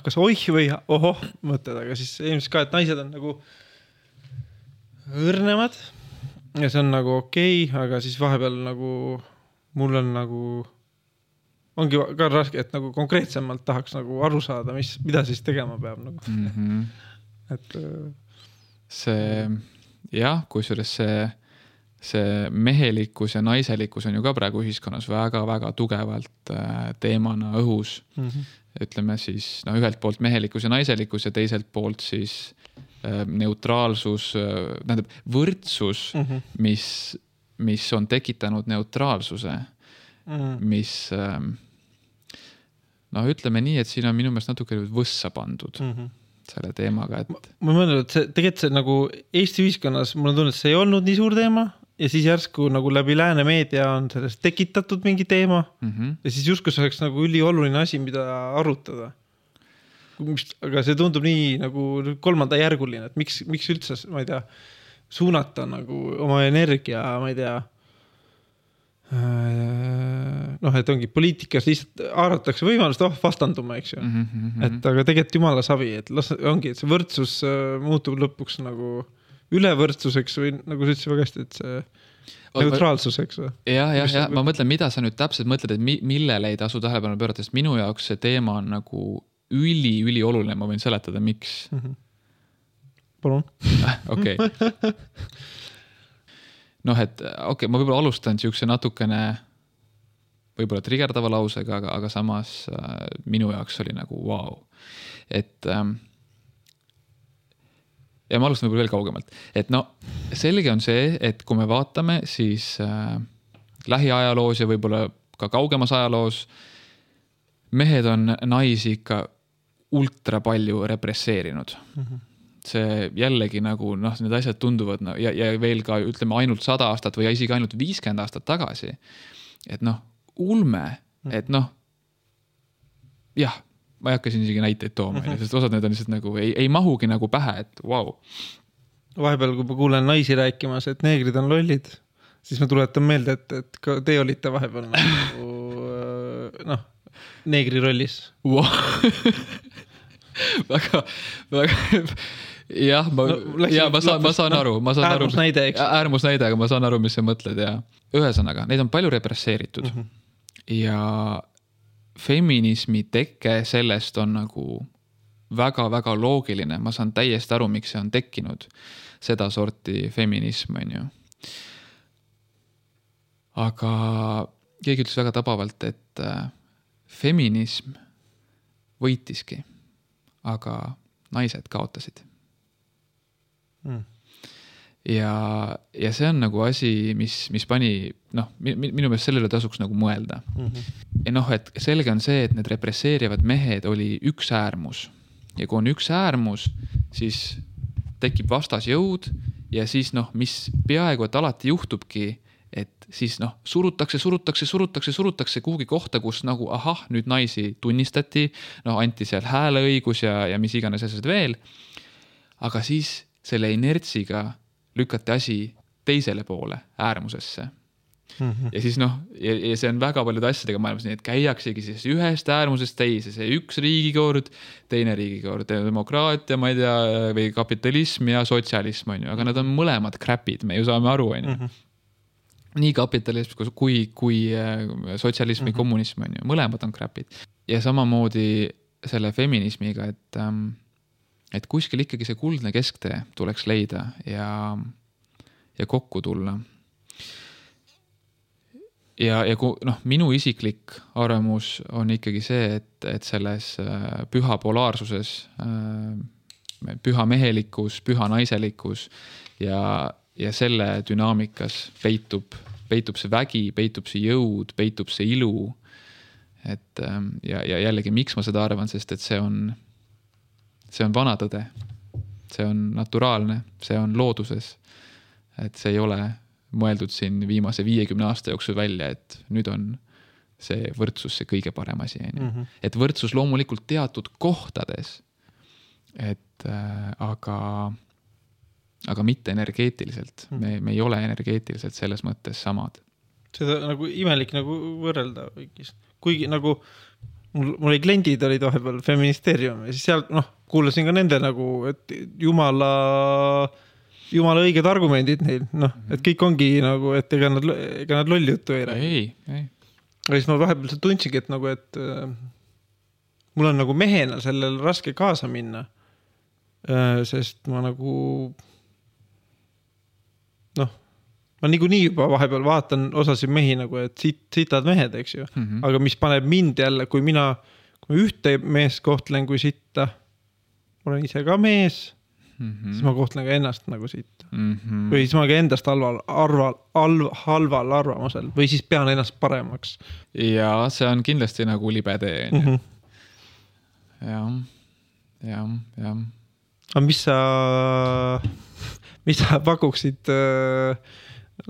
kas oih või ohoh mõtted, aga siis ilmselt ka, et naised on nagu õrnemad ja see on nagu okei, aga siis vahepeal nagu mul on nagu ongi ka raske, et nagu konkreetsemalt tahaks nagu aru saada, mida siis tegema peab nagu. Et see jah, kusjuures see mehelikkus ja naiselikkus on ju ka praegu ühiskonnas väga-väga tugevalt teemana õhus. Ütleme siis ühelt poolt mehelikkus ja naiselikkus ja teiselt poolt siis neutraalsus, tähendab võrdsus, mis on tekitanud neutraalsuse, mis ütleme nii, et siin on minu meelest natuke võssa pandud selle teemaga, et ma mõtlen, et tegelikult see nagu Eesti ühiskonnas, mul on tunnud, et see ei olnud nii suur teema ja siis järsku nagu läbi lääne meedia on sellest tekitatud mingi teema ja siis justkui see oleks nagu ülioluline asi, mida arutada. Aga see tundub nii nagu kolmandajärguline, et miks üldse, ma ei tea, suunata nagu oma energia, ma ei tea, et ongi poliitikas lihtsalt haaratakse võimalust, vastanduma, eks ju. Et aga tegelikult jumala savi, et ongi, et see võrdsus muutub lõpuks nagu ülevõrdsuseks või nagu sa ütlesid väga hästi, et see neutraalsuseks. Ja, ma mõtlen, mida sa nüüd täpselt mõtled, et millele ei tasu tähelepanu pöörata, sest minu jaoks see teema on nagu üli oluline, ma võin seletada, miks. Palun. Okei. Ma võib-olla alustan siukse natukene võib-olla trigerdava lausega, aga samas minu jaoks oli nagu wow. Et ja ma alustan võib-olla veel kaugemalt. Et selge on see, et kui me vaatame, siis lähiajaloos ja võib-olla ka kaugemas ajaloos mehed on naisi ikka ultra palju represseerinud. See jällegi nagu, need asjad tunduvad ja veel ka ütleme ainult 100 aastat või isegi ainult 50 aastat tagasi. Et ulme, et jah, ma ei hakka siin isegi näiteid tooma, sest osad need on lihtsalt nagu, ei mahugi nagu pähe, et wow. Vahepeal, kui ma kuulen naisi rääkimas, et neegrid on lollid, siis ma tuletan meelde, et ka te olite vahepeal nagu, neegri rollis. Wow. väga jah, ma saan aru. Äärmusnäide, eks? Äärmusnäide, aga ma saan aru, mis sa mõtled ja ühesõnaga, neid on palju represseeritud ja feminismi teke sellest on nagu väga-väga loogiline. Ma saan täiesti aru, miks see on tekkinud seda sorti feminism, on ju. Aga keegi ütles väga tabavalt, et feminism võitiski, aga naised kaotasid. Ja see on nagu asi, mis pani, minu meelest sellele tasuks nagu mõelda. Ja et selge on see, et need represseerivad mehed oli üks äärmus. Ja kui on üks äärmus, siis tekib vastasjõud ja siis mis peaaegu, et alati juhtubki, et siis surutakse kuhugi kohta, kus nagu nüüd naisi tunnistati, anti seal hääleõigus ja mis iganes asjad veel. Aga siis selle inertsiga lükati asi teisele poole äärmusesse. Ja siis ja see on väga paljude asjadega maailmas nii, et käiaksegi siis ühest äärmusest teise, see üks riigikord, teine riigikord, demokraatia, ma ei tea, või kapitalism ja sotsialism, on ju, aga nad on mõlemad crapid, me ju saame aru, on ju. Nii kapitalism kui sotsialism ja kommunism, on ju, mõlemad on crapid. Ja samamoodi selle feminismiga, et kuskil ikkagi see kuldne kesktee tuleks leida ja kokku tulla. Ja minu isiklik arvamus on ikkagi see, et selles püha polaarsuses, püha mehelikkus, püha naiselikkus ja selle dünaamikas peitub see vägi, peitub see jõud, peitub see ilu. Et, ja jällegi, miks ma seda arvan, sest et see on vana tõde. See on naturaalne, see on looduses. Et see ei ole mõeldud siin viimase 50 aasta jooksul välja, et nüüd on see võrdsus see kõige parem asi. Et võrdsus loomulikult teatud kohtades, aga aga mitte energeetiliselt. Me ei ole energeetiliselt selles mõttes samad. Seda nagu imelik nagu võrrelda. Kuigi nagu mul oli kliendid olid vahepeal feministeerium ja siis seal kuulasin ka nende nagu, et jumala õiged argumendid neil, et kõik ongi nagu, et ega nad lolli juttu ei räägi. Ei. Ja siis ma vahepeal tundsingi, et nagu, et mul on nagu mehena sellel raske kaasa minna, sest ma nagu ma niikuinii juba vahepeal vaatan osasid mehi nagu, et sitad mehed, eks ju. Aga mis paneb mind jälle, kui ma ühte meest kohtlen kui sitta, ma olen ise ka mees, siis ma kohtlen ka ennast nagu sitta. Või siis ma ka endast halval arvamusel või siis pean ennast paremaks. Ja see on kindlasti nagu libe tee. Ja. Aga mis sa pakuksid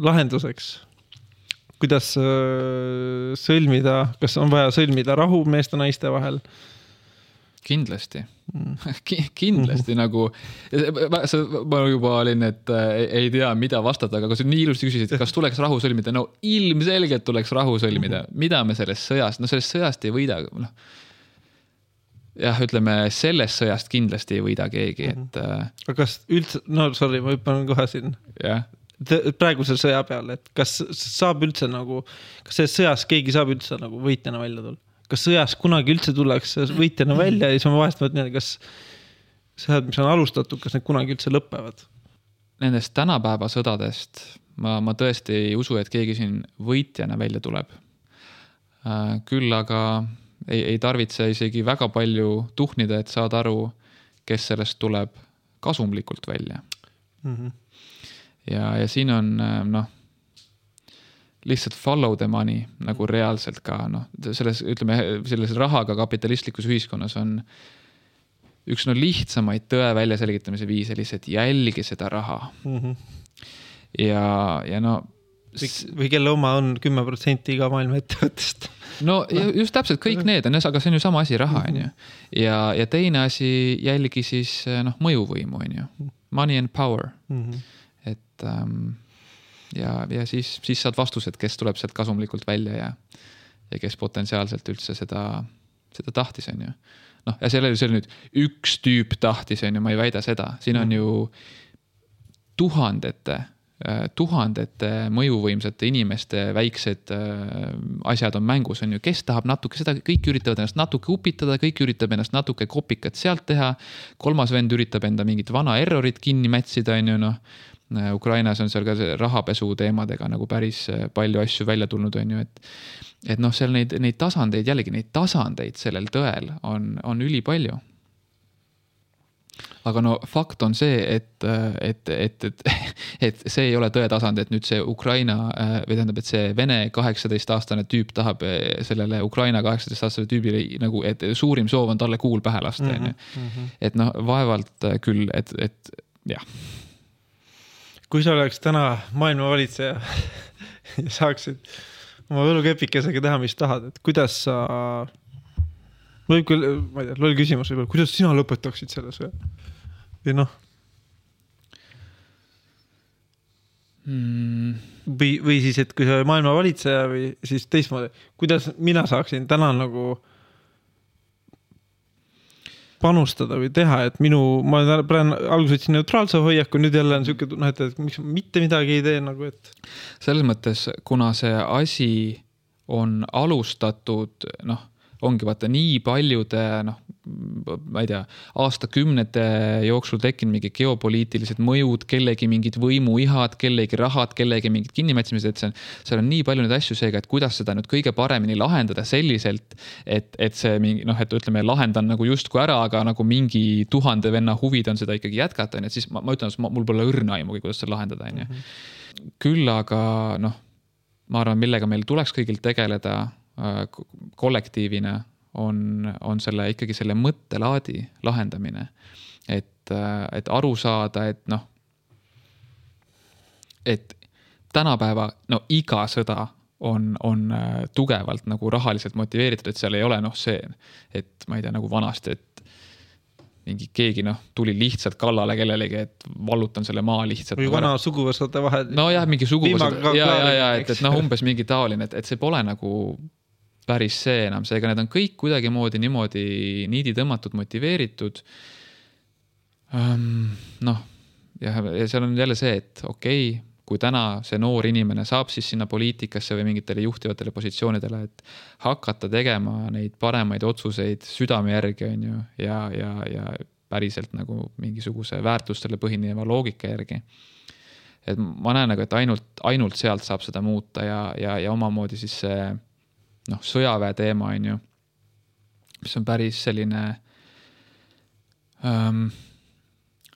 lahenduseks? Kuidas sõlmida, kas on vaja sõlmida rahu meeste naiste vahel? Kindlasti. Kindlasti nagu, ma juba olin, et ei tea, mida vastata, aga kui sa nii ilusti küsisid, kas tuleks rahu sõlmida? No ilmselgelt tuleks rahu sõlmida. Mida me sellest sõjast? No sellest sõjast ei võida. Jah, ütleme, sellest sõjast kindlasti ei võida keegi. Aga kas üldse, sorry, ma hüppan kohe siin. Jah. Praeguse sõja peale, et kas saab üldse nagu, kas selles sõjas keegi saab üldse nagu võitjana välja tulla? Kas sõjas kunagi üldse tullakse võitjana välja ja siis ma vahest mõtlen, kas sõjad, mis on alustatud, kas need kunagi üldse lõpevad? Nendest tänapäeva sõdadest ma tõesti ei usu, et keegi siin võitjana välja tuleb. Küll aga ei tarvitse isegi väga palju tuhnida, et saada aru, kes sellest tuleb kasumlikult välja. Ja siin on lihtsalt follow the money nagu reaalselt ka selles rahaga kapitalistlikus ühiskonnas on üks lihtsamaid tõe välja selgitamise viise lihtsalt jälgi seda raha. Ja või kelle oma on 10% iga maailma ettevõttest. No just täpselt kõik need on, aga see on ju sama asi raha, on ju. Ja teine asi jälgi siis mõjuvõimu, on ju. Money and power. Et ja siis saad vastused, kes tuleb sealt kasumlikult välja ja kes potentsiaalselt üldse seda tahtis, on ju. Ja see oli nüüd üks tüüp tahtis, on ju, ma ei väida seda. Siin on ju tuhandete mõjuvõimsate inimeste väiksed asjad on mängus, on ju, kes tahab natuke seda, kõik üritavad ennast natuke upitada, kõik üritab ennast natuke kopikat sealt teha, kolmas vend üritab enda mingit vana errorit kinni mätsida, on ju, Ukrainas on seal ka rahapesu teemadega nagu päris palju asju välja tulnud, on ju, et seal neid tasandeid, jällegi neid tasandeid sellel tõel on üli palju. Aga fakt on see, et see ei ole tõetasand, et nüüd see Ukraina, või tähendab, et see Vene 18-aastane tüüp tahab sellele Ukraina 18-aastane tüübile nagu, et suurim soov on talle kuul pähe lasta. Et vaevalt küll, et jah. Kui sa oleks täna maailma valitseja ja saaksid oma võlukepikesega teha, mis tahad, et kuidas sa, võib küll, ma ei tea, loll küsimus, kuidas sina lõpetaksid selle sõja? Või või siis, et kui sa maailma valitseja või siis teistmoodi, kuidas mina saaksin täna nagu panustada või teha, et ma praegu alguses võtsin neutraalse hoiaku, nüüd jälle on selline, et miks mitte midagi ei tee nagu, et selles mõttes, kuna see asi on alustatud, ongi vaata nii paljude, ma ei tea, aastakümnete jooksul tekkinud mingi geopoliitilised mõjud, kellegi mingid võimuihad, kellegi rahad, kellegi mingid kinnimätsimised, et seal on nii palju neid asju seega, et kuidas seda nüüd kõige paremini lahendada selliselt, et see mingi, et ütleme, lahendan nagu justkui ära, aga nagu mingi 1000 venna huvid on seda ikkagi jätkata, et siis ma ütlen, et mul pole õrna aimugi, kuidas seda lahendada. Küll aga, ma arvan, millega meil tuleks kõigilt tegeleda kollektiivina on selle ikkagi selle mõttelaadi lahendamine, et aru saada, et tänapäeva iga sõda on tugevalt nagu rahaliselt motiveeritud, et seal ei ole see, et ma ei tea, nagu vanasti, et mingi keegi tuli lihtsalt kallale kellelegi, et vallutan selle maa lihtsalt. Või vana suguvõsade vahel. No jah, mingi suguvõsad. Et umbes mingi taoline, et see pole nagu päris see enam. Seega need on kõik kuidagi niimoodi niidi tõmmatud, motiveeritud. Ja seal on jälle see, et okei, kui täna see noor inimene saab siis sinna poliitikasse või mingitele juhtivatele positsioonidele, et hakata tegema neid paremaid otsuseid südame järgi on ju, ja päriselt nagu mingisuguse väärtustele põhineva loogika järgi. Et ma näen nagu, et ainult sealt saab seda muuta ja omamoodi siis see sõjaväe teema on ju, mis on päris selline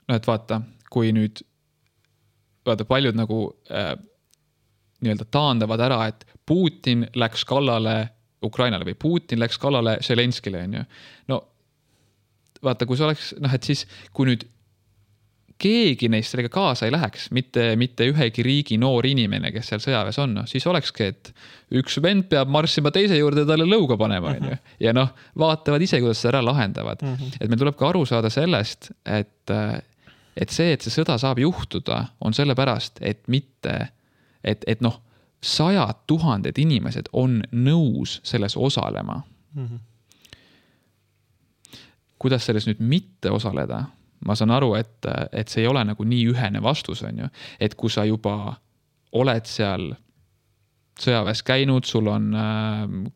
et vaata, kui nüüd paljud nagu nii-öelda taandavad ära, et Putin läks kallale Ukrainale või Putin läks kallale Zelenskile, on ju. No vaata, kui see oleks, et siis kui nüüd keegi neist sellega kaasa ei läheks, mitte ühegi riigi noor inimene, kes seal sõjaväes on, siis olekski, et üks vend peab marssima teise juurde ja talle lõuga panema, on ju. Ja vaatavad ise, kuidas seda ära lahendavad. Et meil tuleb ka aru saada sellest, et see sõda saab juhtuda, on selle pärast, et mitte, et 100,000 inimesed on nõus selles osalema. Kuidas selles nüüd mitte osaleda? Ma saan aru, et see ei ole nagu nii ühene vastus, on ju. Et kui sa juba oled seal sõjaväes käinud, sul on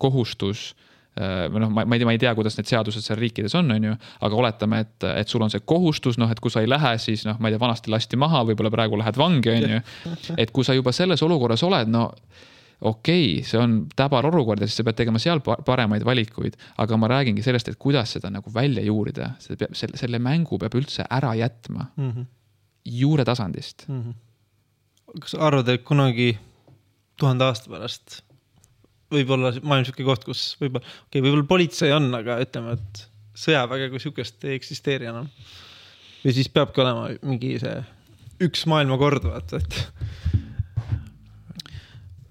kohustus, ma ei tea, kuidas need seadused seal riikides on ju, aga oletame, et sul on see kohustus, et kui sa ei lähe, siis ma ei tea, vanasti lasti maha, võib-olla praegu lähed vangi, on ju. Et kui sa juba selles olukorras oled, okei, see on täbar olukord ja siis sa pead tegema seal paremaid valikuid, aga ma räägingi sellest, et kuidas seda nagu välja juurida. Selle mängu peab üldse ära jätma juure tasandist. Kas arvad, et kunagi 1000 aasta pärast võib-olla maailm siuke koht, kus võib-olla politsei on, aga ütleme, et sõjaväge kui siukest ei eksisteeri enam. Või siis peabki olema mingi see üks maailmakord, vaata, et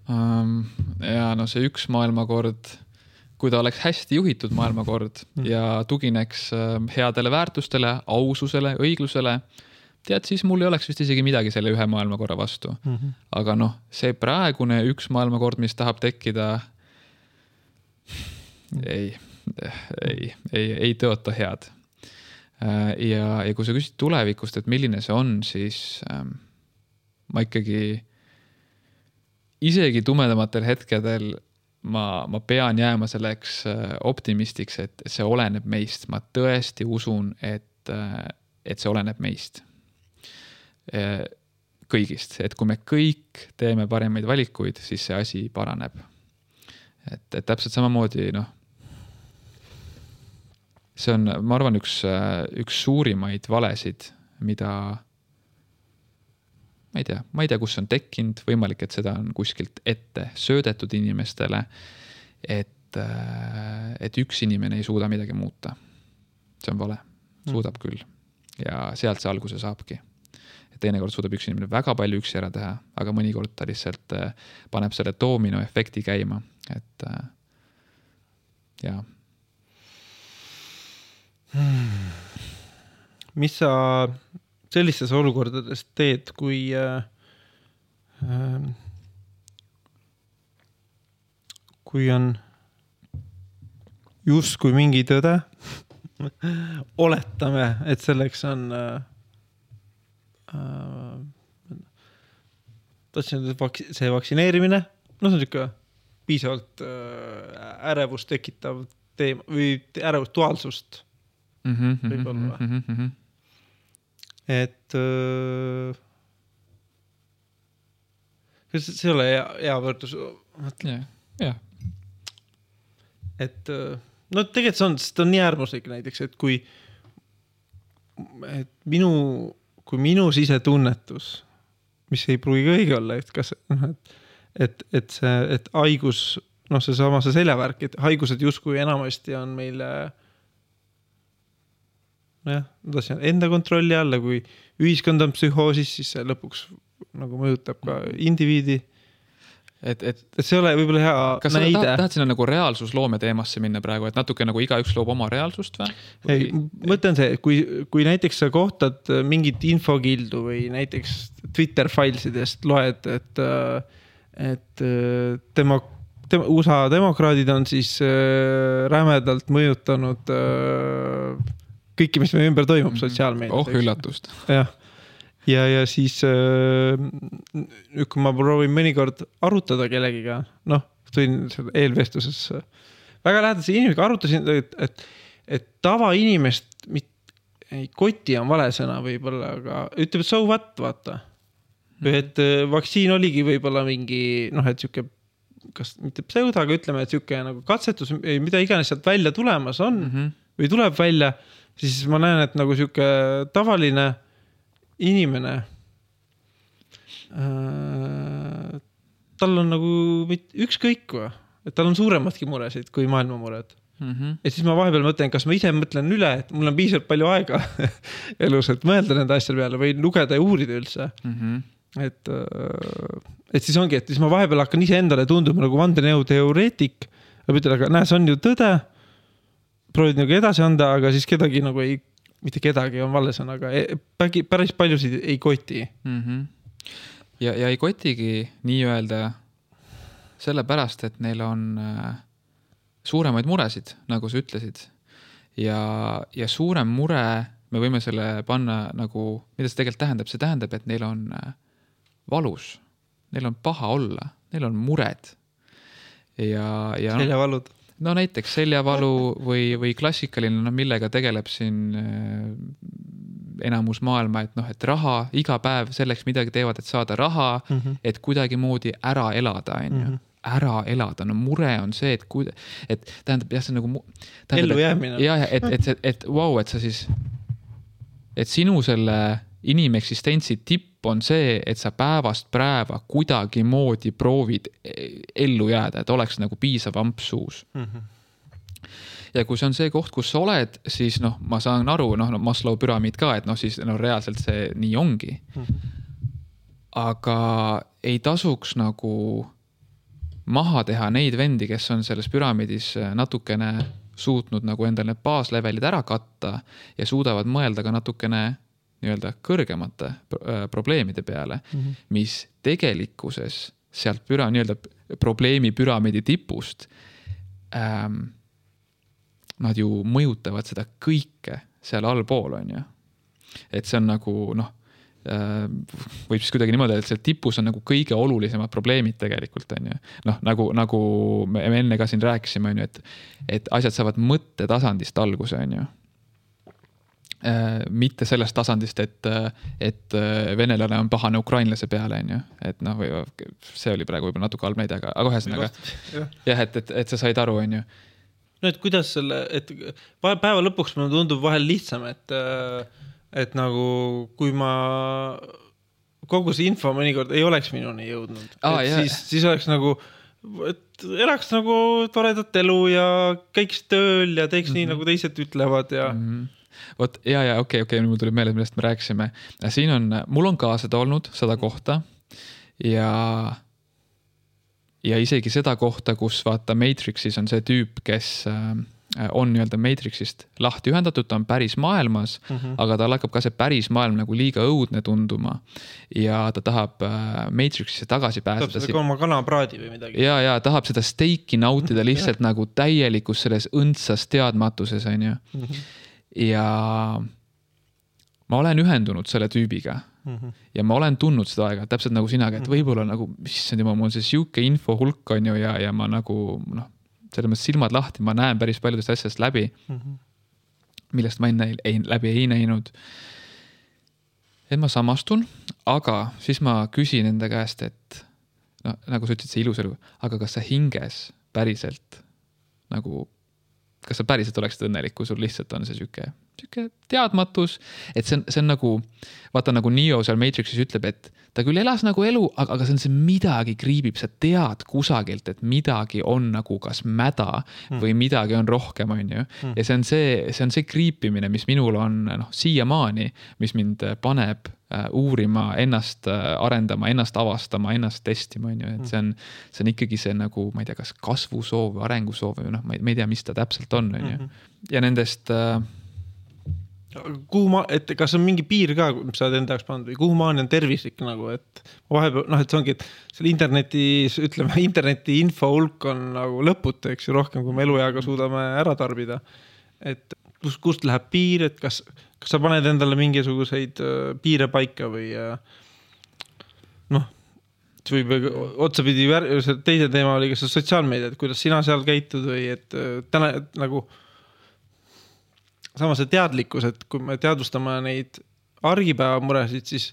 ja see üks maailmakord, kui ta oleks hästi juhitud maailmakord ja tugineks headele väärtustele, aususele, õiglusele, tead, siis mul ei oleks vist isegi midagi selle ühe maailmakorra vastu. Aga see praegune üks maailmakord, mis tahab tekkida, ei tõota head. Ja kui sa küsid tulevikust, et milline see on, siis ma ikkagi isegi tumedamatel hetkedel ma pean jääma selleks optimistiks, et see oleneb meist. Ma tõesti usun, et see oleneb meist. Kõigist. Et kui me kõik teeme paremaid valikuid, siis see asi paraneb. Et täpselt samamoodi, see on, ma arvan, üks suurimaid valesid, mida ma ei tea, kus on tekkinud, võimalik, et seda on kuskilt ette söödetud inimestele, et üks inimene ei suuda midagi muuta. See on vale. Suudab küll. Ja sealt see alguse saabki. Et teinekord suudab üks inimene väga palju üksi ära teha, aga mõnikord ta lihtsalt paneb selle doomino efekti käima. Et jaa. Mis sa sellistes olukordades teed, kui on justkui mingi tõde, oletame, et selleks on see vaktsineerimine, see on niisugune piisavalt ärevust tekitav teema või ärevust duaalsust võib-olla. Et see ei ole hea võrdlus. Yeah. Et tegelikult see on nii äärmuslik näiteks, et kui minu sisetunnetus, mis ei pruugi õige olla, et haigus, see seljavärk, et haigused justkui enamasti on meile enda kontrolli alla, kui ühiskond on psühhoosis, siis see lõpuks nagu mõjutab ka indiviidi. et see ei ole võib-olla hea kas näide. Kas sa tahad sinna nagu reaalsusloome teemasse minna praegu, et natuke nagu igaüks loob oma reaalsust või? Ei, mõtlen see, kui näiteks sa kohtad mingit infokildu või näiteks Twitter filesidest loed, et USA demokraadid on siis rämedalt mõjutanud kõiki, mis meie ümber toimub sotsiaalmeedias. Üllatust. Jah. Ja siis kui ma proovin mõnikord arutada kellegiga, tulin eelvestluses väga lähedase inimesega arutasin, et tavainimest, koti on vale sõna võib-olla, aga ütleb, et so what, vaata. Et vaktsiin oligi võib-olla mingi, et siuke, kas mitte pseudo, aga ütleme, et siuke nagu katsetus, mida iganes sealt välja tulemas on või tuleb välja, siis ma näen, et nagu siuke tavaline inimene, tal on nagu ükskõik või, et tal on suuremadki muresid kui maailma mured. Ja siis ma vahepeal mõtlen, kas ma ise mõtlen üle, et mul on piisavalt palju aega elus, et mõelda nende asjale peale või lugeda ja uurida üldse. Et siis ongi, et siis ma vahepeal hakkan ise endale tunduma nagu vandenõuteoreetik, aga näe, see on ju tõde, proovid nagu edasi anda, aga siis kedagi nagu ei, mitte kedagi on vallesan, aga päris paljusid ei koti. Ja ei kotigi nii öelda sellepärast, et neil on suuremaid muresid, nagu sa ütlesid. Ja suurem mure, me võime selle panna nagu, mida see tegelikult tähendab? See tähendab, et neil on valus, neil on paha olla, neil on mured. Seljavalud. No näiteks seljavalu või klassikaline, millega tegeleb siin enamus maailma, et raha, iga päev selleks midagi teevad, et saada raha, et kuidagi moodi ära elada, ära elada. No mure on see, et tähendab, jah, see nagu ellu jäämine. Ja, et wow, et sa siis, et sinu selle inimeksistentsi tipp on see, et sa päevast päeva kuidagi moodi proovid ellu jääda, et oleks nagu piisav amps suus. Ja kui see on see koht, kus sa oled, siis ma saan aru, Maslow püramiid ka, et siis reaalselt see nii ongi. Aga ei tasuks nagu maha teha neid vendi, kes on selles püramiidis natukene suutnud nagu endal need baaslevelid ära katta ja suudavad mõelda ka natukene nii-öelda kõrgemate probleemide peale, mis tegelikkuses sealt nii-öelda probleemi püramiidi tipust nad ju mõjutavad seda kõike seal allpool, on ju. Et see on nagu, võib siis kuidagi niimoodi, et seal tipus on nagu kõige olulisemad probleemid tegelikult, on ju. Nagu me enne ka siin rääkisime, on ju, et asjad saavad mõttetasandist alguse, on ju. Mitte sellest tasandist, et venelane on pahane ukrainlase peale, on ju. Et see oli praegu võib-olla natuke halb näide, aga ühesõnaga jah, et sa said aru, on ju. No, et kuidas selle, et päeva lõpuks mulle tundub vahel lihtsam, et nagu kui ma kogu see info mõnikord ei oleks minuni jõudnud, siis oleks nagu, et elaks nagu toredat elu ja käiks tööl ja teeks nii, nagu teised ütlevad ja Vot, okei, mul tuli meelde, millest me rääkisime. Siin on, mul on ka seda olnud, seda kohta ja isegi seda kohta, kus vaata Matrixis on see tüüp, kes on nii-öelda Matrixist lahti ühendatud, ta on päris maailmas, aga tal hakkab ka see päris maailm nagu liiga õudne tunduma ja ta tahab Matrixisse tagasi pääseda. Tahab seda oma kanapraadi või midagi. Ja tahab seda steiki nautida lihtsalt nagu täielikus selles õndsas teadmatuses, on ju. Ja ma olen ühendunud selle tüübiga ja ma olen tundnud seda aega, täpselt nagu sinaga, et võib-olla nagu, mul on see siuke info hulk on ju ja ma nagu, selles mõttes silmad lahti, ma näen päris paljudest asjast läbi, millest ma läbi ei näinud. Et ma samastun, aga siis ma küsin enda käest, et nagu sa ütlesid, see ilus elu, aga kas sa hinges päriselt nagu kas sa päriselt oleksid õnnelik, kui sul lihtsalt on see siuke teadmatus, et see on nagu, vaata nagu Neo seal Matrixis ütleb, et ta küll elas nagu elu, aga see on see midagi kriibib, sa tead kusagilt, et midagi on nagu kas mäda või midagi on rohkem, on ju. Ja see on see kriipimine, mis minul on siiamaani, mis mind paneb uurima, ennast arendama, ennast avastama, ennast testima, on ju, et see on ikkagi see nagu, ma ei tea, kas kasvusoov või arengusoov või noh, ma ei tea, mis ta täpselt on ju. Ja nendest et kas on mingi piir ka, mis sa oled enda jaoks pannud või kuhu maani on tervislik nagu, et vahepeal, et see ongi, et seal interneti info hulk on nagu lõputu, eks ju, rohkem kui me elueaga suudame ära tarbida. Et kust läheb piir, et kas sa paned endale mingisuguseid piire paika või või otsapidi teise teema oli, kas sotsiaalmeedia, et kuidas sina seal käitud või et täna nagu samas see teadlikkus, et kui me teadvustame neid argipäeva muresid, siis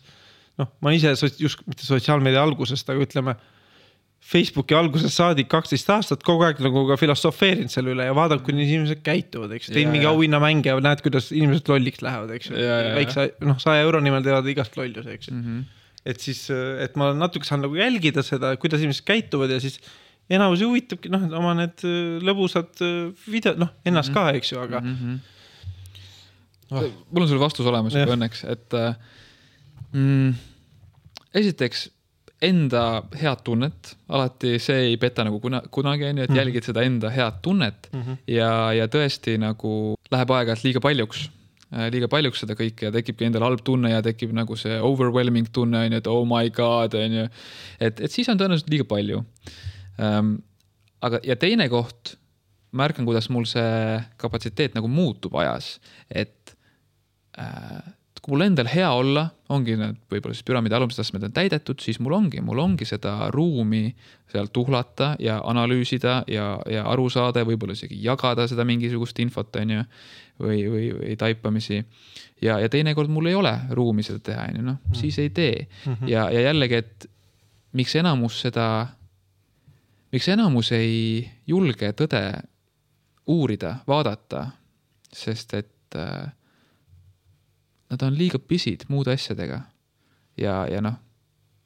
ma ise just mitte sotsiaalmeedia algusest, aga ütleme Facebooki algusest saadik 12 aastat kogu aeg nagu ka filosofeerinud selle üle ja vaadab, kui inimesed käituvad, eks. Tein mingi auhinna mänge ja näed, kuidas inimesed lolliks lähevad, eks. Väikse 100 euro nimel teevad igast lollus, eks. Et siis, et ma natuke saan nagu jälgida seda, kuidas inimesed käituvad ja siis enamus huvitabki, oma need lõbusad videod, ennast ka, eks ju, aga mul on sulle vastus olemas juba õnneks, et esiteks enda head tunnet, alati see ei peta nagu kunagi, et jälgid seda enda head tunnet ja tõesti nagu läheb aeg-ajalt liiga paljuks seda kõike ja tekibki endal halb tunne ja tekib nagu see overwhelming tunne, et oh my god, et siis on tõenäoliselt liiga palju. Aga ja teine koht, märkan, kuidas mul see kapatsiteet nagu muutub ajas, et kui mul endal hea olla, ongi need võib-olla siis püramiidi alumised astmed on täidetud, siis mul ongi seda ruumi seal tuhlata ja analüüsida ja aru saada ja võib-olla isegi jagada seda mingisugust infot on ju, või taipamisi. Ja teinekord mul ei ole ruumi seda teha, siis ei tee. Ja jällegi, et miks enamus ei julge tõde uurida, vaadata, sest et nad on liiga pisid muude asjadega. Ja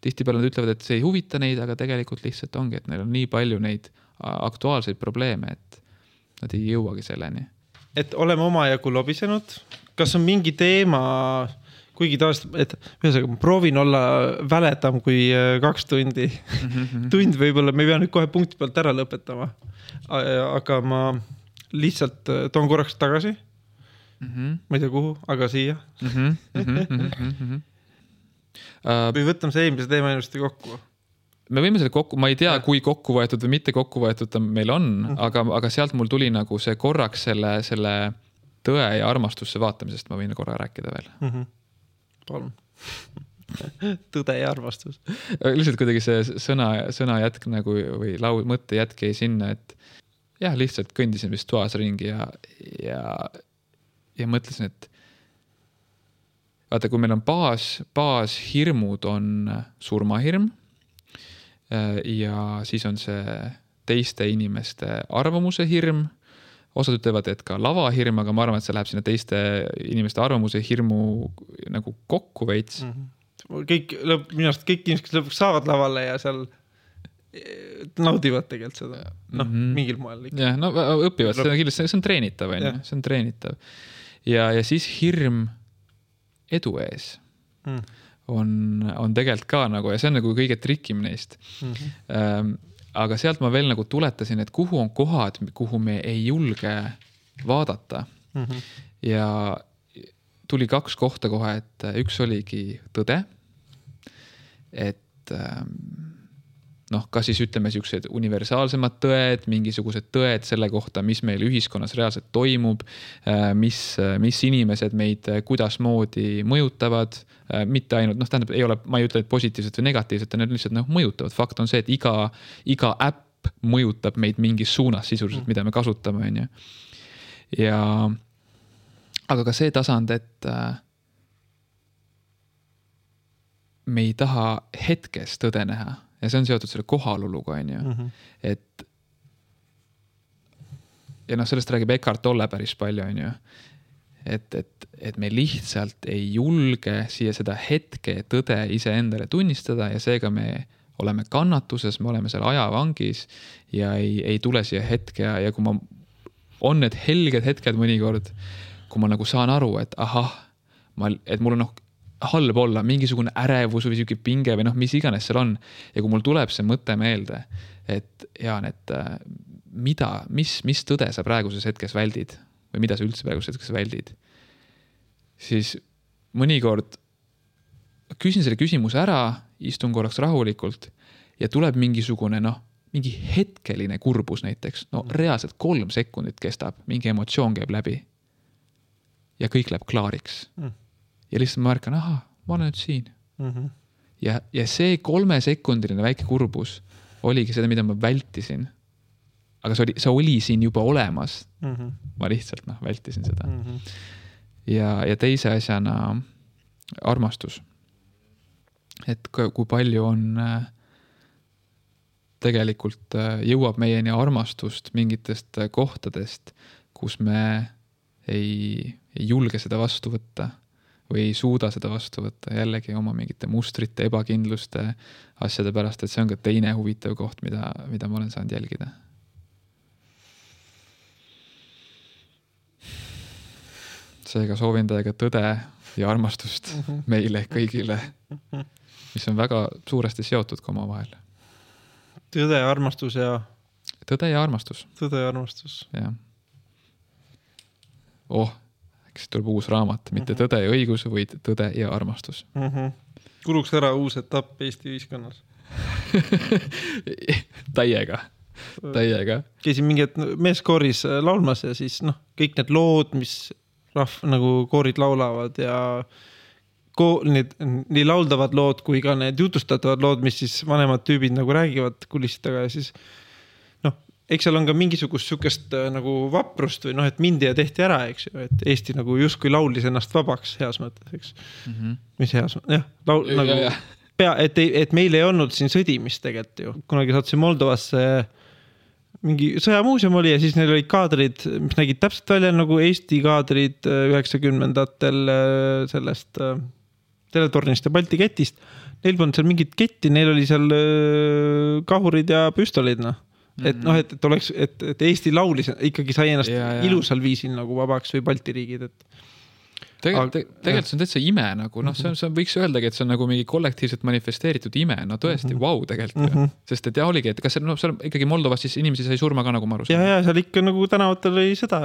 tihtipeale nad ütlevad, et see ei huvita neid, aga tegelikult lihtsalt ongi, et neil on nii palju neid aktuaalseid probleeme, et nad ei jõuagi selleni. Et oleme omajagu lobisenud. Kas on mingi teema, kuigi taast, et ma proovin olla väledam kui 2 tundi. Tund võib-olla, me ei pea nüüd kohe punkti pealt ära lõpetama. Aga ma lihtsalt toon korraks tagasi. Ma ei tea kuhu, aga siia. Või võtame see eelmise teema ilusti kokku. Me võime selle kokku, ma ei tea, kui kokku võetud või mitte kokku võetud ta meil on, aga sealt mul tuli nagu see korraks selle tõe ja armastusse vaatamisest ma võin korra rääkida veel. Palun. Tõde ja armastus. Lihtsalt kuidagi see sõna jätk nagu, või mõtte jätk jäi sinna, et jah, lihtsalt kõndisin vist toas ringi ja mõtlesin, et vaata, kui meil on baashirmud on surmahirm ja siis on see teiste inimeste arvamuse hirm. Osad ütlevad, et ka lavahirm, aga ma arvan, et see läheb sinna teiste inimeste arvamuse hirmu nagu kokku veits. Minu arust kõik inimesed, kes lõpuks saavad lavale ja seal naudivad tegelikult seda. Mingil moel. Jah, õpivad, see on treenitav. See on treenitav. Ja siis hirm edu ees on tegelikult ka nagu, ja see on nagu kõige trikim neist. Aga sealt ma veel nagu tuletasin, et kuhu on kohad, kuhu me ei julge vaadata. Ja tuli 2 kohta kohe, et üks oligi tõde, et kas siis ütleme siuksed universaalsemad tõed, mingisugused tõed selle kohta, mis meil ühiskonnas reaalselt toimub, mis inimesed meid kuidas moodi mõjutavad, mitte ainult, tähendab, ma ei ütle, et positiivselt või negatiivselt, need lihtsalt mõjutavad. Fakt on see, et iga äpp mõjutab meid mingis suunas sisuliselt, mida me kasutame. On ju. Aga ka see tasand, et me ei taha hetkes tõde näha. Ja see on seotud selle kohaloluga, on ju. Ja sellest räägib Eckhart Tolle päris palju, on ju. Et me lihtsalt ei julge siia seda hetke tõde ise endale tunnistada ja seega me oleme kannatuses, me oleme seal ajavangis ja ei tule siia hetke ja kui on need helged hetked mõnikord, kui ma nagu saan aru, et et mul on halb olla, mingisugune ärevus või siuke pinge või noh, mis iganes seal on. Ja kui mul tuleb see mõte meelde, et Jaan, et mis tõde sa praeguses hetkes väldid või mida sa üldse praeguses hetkes väldid, siis mõnikord küsin selle küsimuse ära, istun korraks rahulikult ja tuleb mingisugune mingi hetkeline kurbus näiteks. Reaalselt 3 sekundit kestab, mingi emotsioon käib läbi ja kõik läheb klaariks. Ja lihtsalt ma märkan, ma olen nüüd siin. Ja see 3-sekundiline väike kurbus oligi seda, mida ma vältisin. Aga see oli siin juba olemas. Ma lihtsalt vältisin seda. Ja teise asjana armastus. Et kui palju on tegelikult jõuab meieni armastust mingitest kohtadest, kus me ei julge seda vastu võtta või ei suuda seda vastu võtta jällegi oma mingite mustrite, ebakindluste asjade pärast, et see on ka teine huvitav koht, mida ma olen saanud jälgida. Seega soovin teiega tõde ja armastust meile kõigile, mis on väga suuresti seotud ka oma vahel. Tõde ja armastus ja... Tõde ja armastus. Tõde ja armastus. Ja. Äkki tuleb uus raamat, mitte tõde ja õigus, vaid tõde ja armastus. Kuluks ära uus etapp Eesti ühiskonnas. Täiega. Käisin mingi meeskooris laulmas ja siis kõik need lood, mis nagu koorid laulavad ja nii lauldavad lood kui ka need jutustatavad lood, mis siis vanemad tüübid nagu räägivad kulissitaga ja siis eks seal on ka mingisugust sükest nagu vaprust või et mindi ja tehti ära, eks ju, et Eesti nagu justkui laulis ennast vabaks heas mõttes, eks. Mis heas mõttes, et meil ei olnud siin sõdimist tegelikult ju. Kunagi saatsin Moldovasse mingi sõjamuuseum oli ja siis neil olid kaadrid, mis nägid täpselt välja nagu Eesti kaadrid 90-ndatel sellest teletornist ja Balti ketist. Neil polnud seal mingit ketti, neil oli seal kahurid ja püstolid, et et oleks, et Eesti laulis ikkagi sai ennast ilusal viisil nagu vabaks või Balti riigid, et tegelikult see on täitsa ime nagu, see võiks öeldagi, et see on nagu mingi kollektiivselt manifesteeritud ime, tõesti, tegelikult. Sest et oligi, et kas seal ikkagi Moldovas siis inimesi sai surma ka nagu ma aru saan? Ja seal ikka nagu tänavatel oli sõda,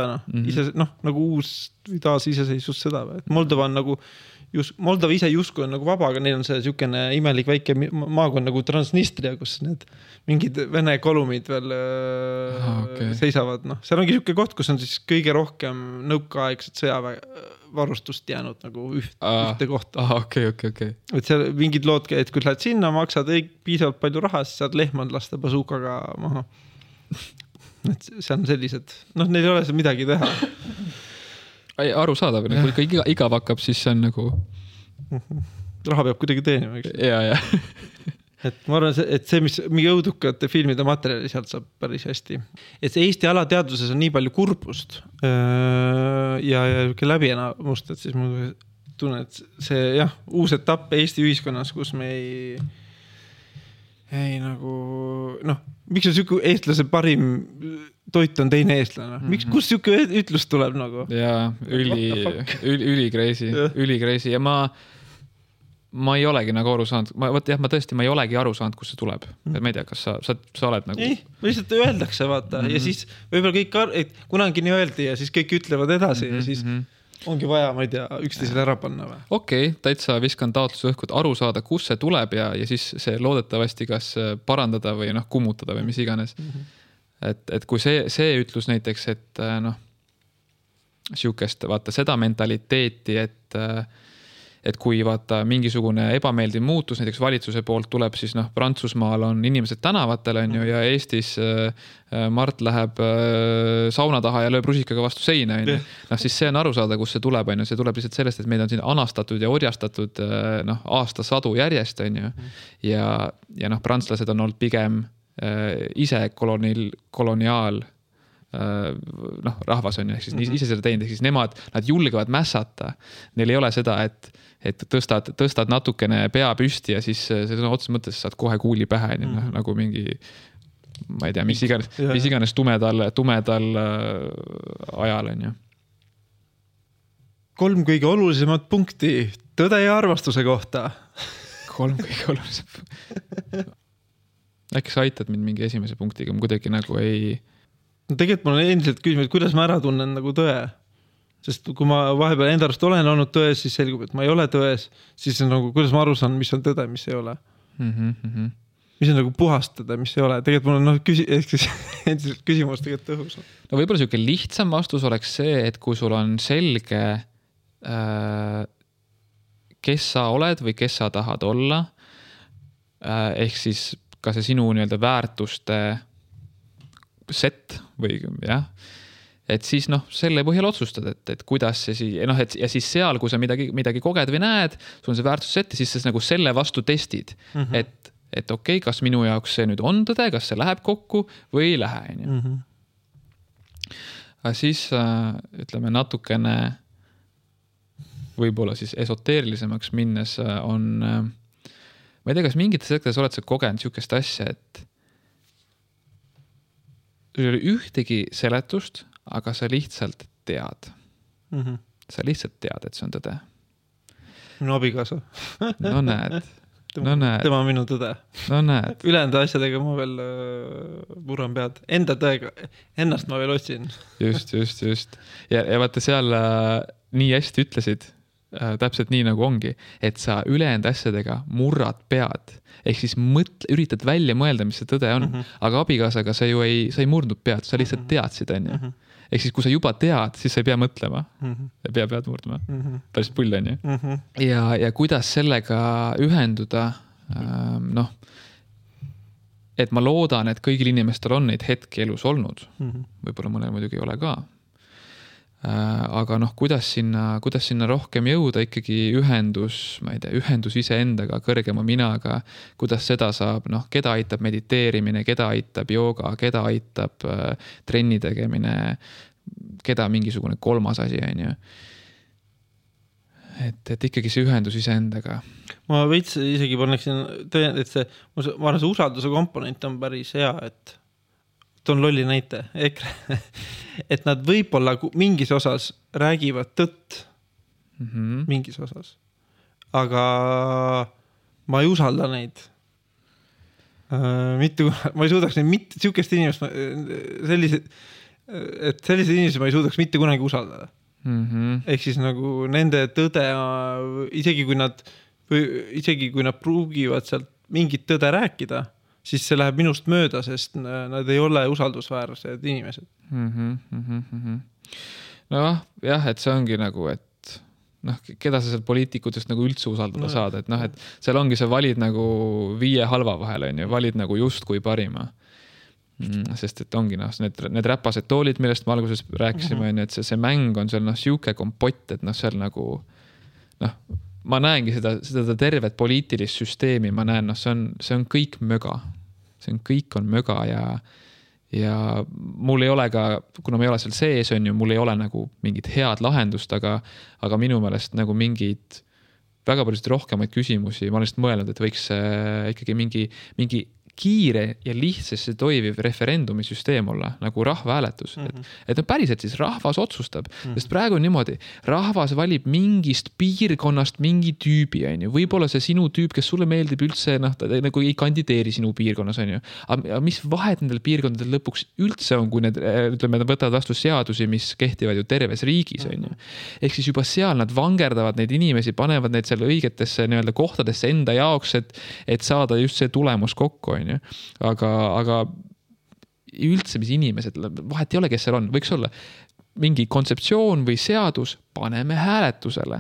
nagu uus või taas iseseisvus sõda. Moldova on nagu, Moldova ise justkui on nagu vaba, aga neil on see sükene imelik väike maakond nagu Transnistria, kus need mingid Vene kolumid veel seisavad. Seal ongi sükene koht, kus on siis kõige rohkem nõukaaegset sõjavarustust jäänud nagu ühte kohta. Okay. Et seal mingid lood, et kui lähed sinna, maksad piisavalt palju raha, siis saad lehmand lasta basuukaga maha. Et see on sellised, neil ei ole see midagi teha. Aru saadav, kui ikka igav hakkab, siis see on nagu... Raha peab kuidagi teenima, eks? Ja. Et ma arvan, et see, mis mingi õudukate filmide materjali sealt saab päris hästi. Et see Eesti alateaduses on nii palju kurbust ja läbi enamust, et siis ma tunnen, et see uus etapp Eesti ühiskonnas, kus me ei nagu... miks on siuke eestlase parim toit on teine eestlane? Kus siuke ütlus tuleb nagu? Jaa, ülikreisi ja ma ei olegi nagu aru saanud. Ma tõesti ei olegi aru saanud, kus see tuleb. Ma ei tea, kas sa oled nagu... Ei, lihtsalt öeldakse, vaata. Ja siis võib-olla kõik, kunagi nii öeldi ja siis kõik ütlevad edasi ja siis ongi vaja, ma ei tea, üksteisele ära panna või? Okei, täitsa viskan taotluse õhkud aru saada, kus see tuleb ja siis see loodetavasti kas parandada või kummutada või mis iganes. Et kui see ütlus näiteks, et siukest, vaata seda mentaliteeti, et kui vaata mingisugune ebameeldiv muutus näiteks valitsuse poolt tuleb, siis Prantsusmaal on inimesed tänavatel on ju ja Eestis Mart läheb sauna taha ja lööb rusikaga vastu seina. Siis see on aru saada, kus see tuleb. See tuleb lihtsalt sellest, et meid on siin anastatud ja orjastatud aastasadu järjest. Ja prantslased on olnud pigem ise koloniaal rahvas on ju, siis ise seda teinud, siis nad julgevad mässata. Neil ei ole seda, et tõstad natukene pea püsti ja siis otses mõttes saad kohe kuuli pähe, nagu mingi, ma ei tea, mis iganes tumedal ajal on ju. 3 kõige olulisemat punkti tõde ja armastuse kohta. 3 kõige olulisem. Äkki sa aitad mind mingi esimese punktiga, ma kuidagi nagu ei... No tegelikult mul on endiselt küsimus, et kuidas ma ära tunnen nagu tõe. Sest kui ma vahepeal enda arust olen olnud tões, siis selgub, et ma ei ole tões, siis on nagu, kuidas ma aru saan, mis on tõde, mis ei ole. Mis on nagu puhastada, mis ei ole. Tegelikult mul on endiselt küsimus tegelikult tõhus. No võib-olla selline lihtsam vastus oleks see, et kui sul on selge, kes sa oled või kes sa tahad olla, ehk siis ka see sinu nii-öelda väärtuste set või jah, et siis selle põhjal otsustad, et kuidas see ja siis seal, kui sa midagi koged või näed, sul on see väärtusset ja siis sa nagu selle vastu testid, et okei, kas minu jaoks see nüüd on tõde, kas see läheb kokku või ei lähe. Aga siis ütleme natukene võib-olla siis esoteerilisemaks minnes on, ma ei tea, kas mingites sektorites oled sa kogenud niisugust asja, et sul ei ole ühtegi seletust, aga sa lihtsalt tead. Sa lihtsalt tead, et see on tõde. Minu abikaasa. No näed. Tema on minu tõde. No näed. Ülejäänud asjadega ma veel murran pead. Enda tõega, ennast ma veel otsin. Just. Ja vaata seal nii hästi ütlesid, täpselt nii nagu ongi, et sa ülejäänud asjadega murrad pead. Ehk siis üritad välja mõelda, mis see tõde on. Aga abikaasaga sa ju ei murdnud pead, sa lihtsalt teadsid, on ju. Ehk siis kui sa juba tead, siis sa ei pea mõtlema. Ei pea pead murdma. Päris pull, on ju. Ja kuidas sellega ühenduda, et ma loodan, et kõigil inimestel on neid hetki elus olnud. Võib-olla mõnel muidugi ei ole ka. Aga kuidas sinna rohkem jõuda, ikkagi ühendus iseendaga, kõrgema minaga, kuidas seda saab, keda aitab mediteerimine, keda aitab jooga, keda aitab trenni tegemine, keda mingisugune kolmas asi, on ju. Et ikkagi see ühendus iseendaga. Ma veits isegi paneksin, et ma arvan, see usalduse komponent on päris hea, et toon lolli näite, EKRE, et nad võib-olla mingis osas räägivad tõtt, mingis osas, aga ma ei usalda neid. Ma ei suudaks neid siukest inimest, sellised inimesed ma ei suudaks mitte kunagi usaldada. Ehk siis nagu nende tõde, isegi kui nad pruugivad sealt mingit tõde rääkida, siis see läheb minust mööda, sest nad ei ole usaldusväärsed inimesed. Jah, et see ongi nagu, et keda sa seal poliitikutest nagu üldse usaldada saad, et seal ongi see valid nagu 5 halva vahel, on ju, valid nagu just kui parima. Sest et ongi need räpased toolid, millest me alguses rääkisime, on ju, et see mäng on seal siuke kompott, et seal nagu ma näengi seda tervet poliitilist süsteemi, ma näen, see on kõik möga. Kõik on möga ja mul ei ole ka, kuna ma ei ole seal sees, on ju, mul ei ole nagu mingit head lahendust, aga minu meelest nagu mingid väga palju rohkemaid küsimusi, ma olen lihtsalt mõelnud, et võiks ikkagi mingi kiire ja lihtsasti toiviv referendumi süsteem olla, nagu rahvahääletus. Et päriselt siis rahvas otsustab, sest praegu on niimoodi, rahvas valib mingist piirkonnast mingi tüübi, on ju. Võib-olla see sinu tüüp, kes sulle meeldib üldse, ta nagu ei kandideeri sinu piirkonnas, on ju. Aga mis vahet nendel piirkondadel lõpuks üldse on, kui need, ütleme, nad võtavad vastu seadusi, mis kehtivad ju terves riigis, on ju. Ehk siis juba seal nad vangerdavad neid inimesi, panevad neid seal õigetesse nii-öelda kohtadesse enda jaoks, et saada just see tulemus kokku, on ju. Aga üldse, mis inimesed, vahet ei ole, kes seal on, võiks olla mingi kontseptsioon või seadus, paneme hääletusele.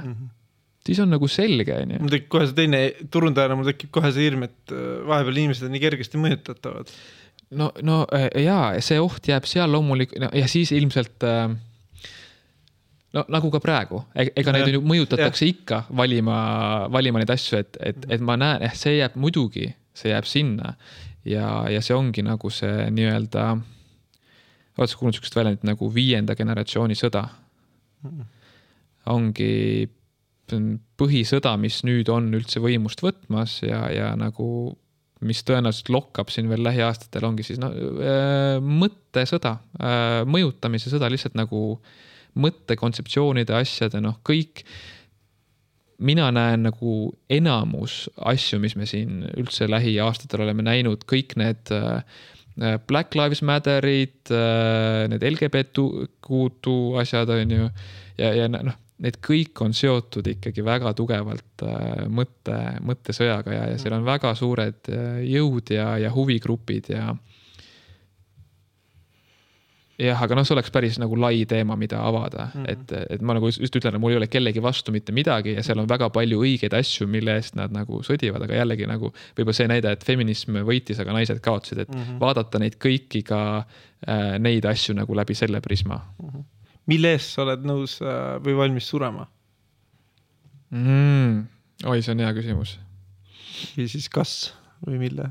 Siis on nagu selge. Mul tekib kohe see teine turundajana, mul tekib kohe see hirm, et vahepeal inimesed on nii kergesti mõjutatavad. No jaa, see oht jääb seal loomulikult ja siis ilmselt nagu ka praegu, ega neid mõjutatakse ikka valima neid asju, et ma näen, see jääb muidugi, see jääb sinna ja see ongi nagu see nii-öelda oled sa kuulnud sükest väljendit nagu 5. generatsiooni sõda. Ongi põhisõda, mis nüüd on üldse võimust võtmas ja nagu mis tõenäoliselt lokkab siin veel lähiaastatel, ongi siis mõttesõda, mõjutamise sõda, lihtsalt nagu mõttekontseptsioonide asjade, kõik mina näen nagu enamus asju, mis me siin üldse lähiaastatel oleme näinud, kõik need Black Lives Matterid, need LGBT asjad on ju, ja noh, need kõik on seotud ikkagi väga tugevalt mõttesõjaga ja seal on väga suured jõud ja huvigrupid ja jah, aga noh, see oleks päris nagu lai teema, mida avada, et ma nagu just ütlen, et mul ei ole kellegi vastu mitte midagi ja seal on väga palju õigeid asju, mille eest nad nagu sõdivad, aga jällegi nagu võib-olla see näide, et feminism võitis, aga naised kaotsid, et vaadata neid kõiki ka neid asju nagu läbi selle prisma. Mille eest sa oled nõus või valmis surema? Oi, see on hea küsimus. Või siis kas või mille?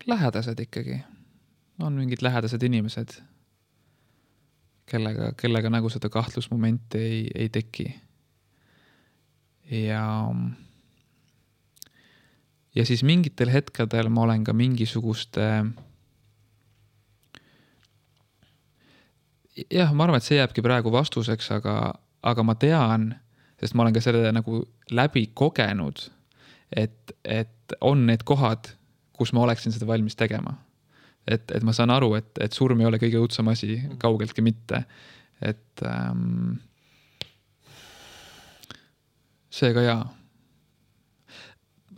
Lähedased ikkagi. On mingid lähedased inimesed, kellega nagu seda kahtlusmomenti ei teki. Ja siis mingitel hetkedel ma olen ka mingisuguste jah, ma arvan, et see jääbki praegu vastuseks, aga ma tean, sest ma olen ka selle nagu läbi kogenud, et on need kohad, kus ma oleksin seda valmis tegema. Et ma saan aru, et surm ei ole kõige õudsam asi, kaugeltki mitte. Et seega jaa.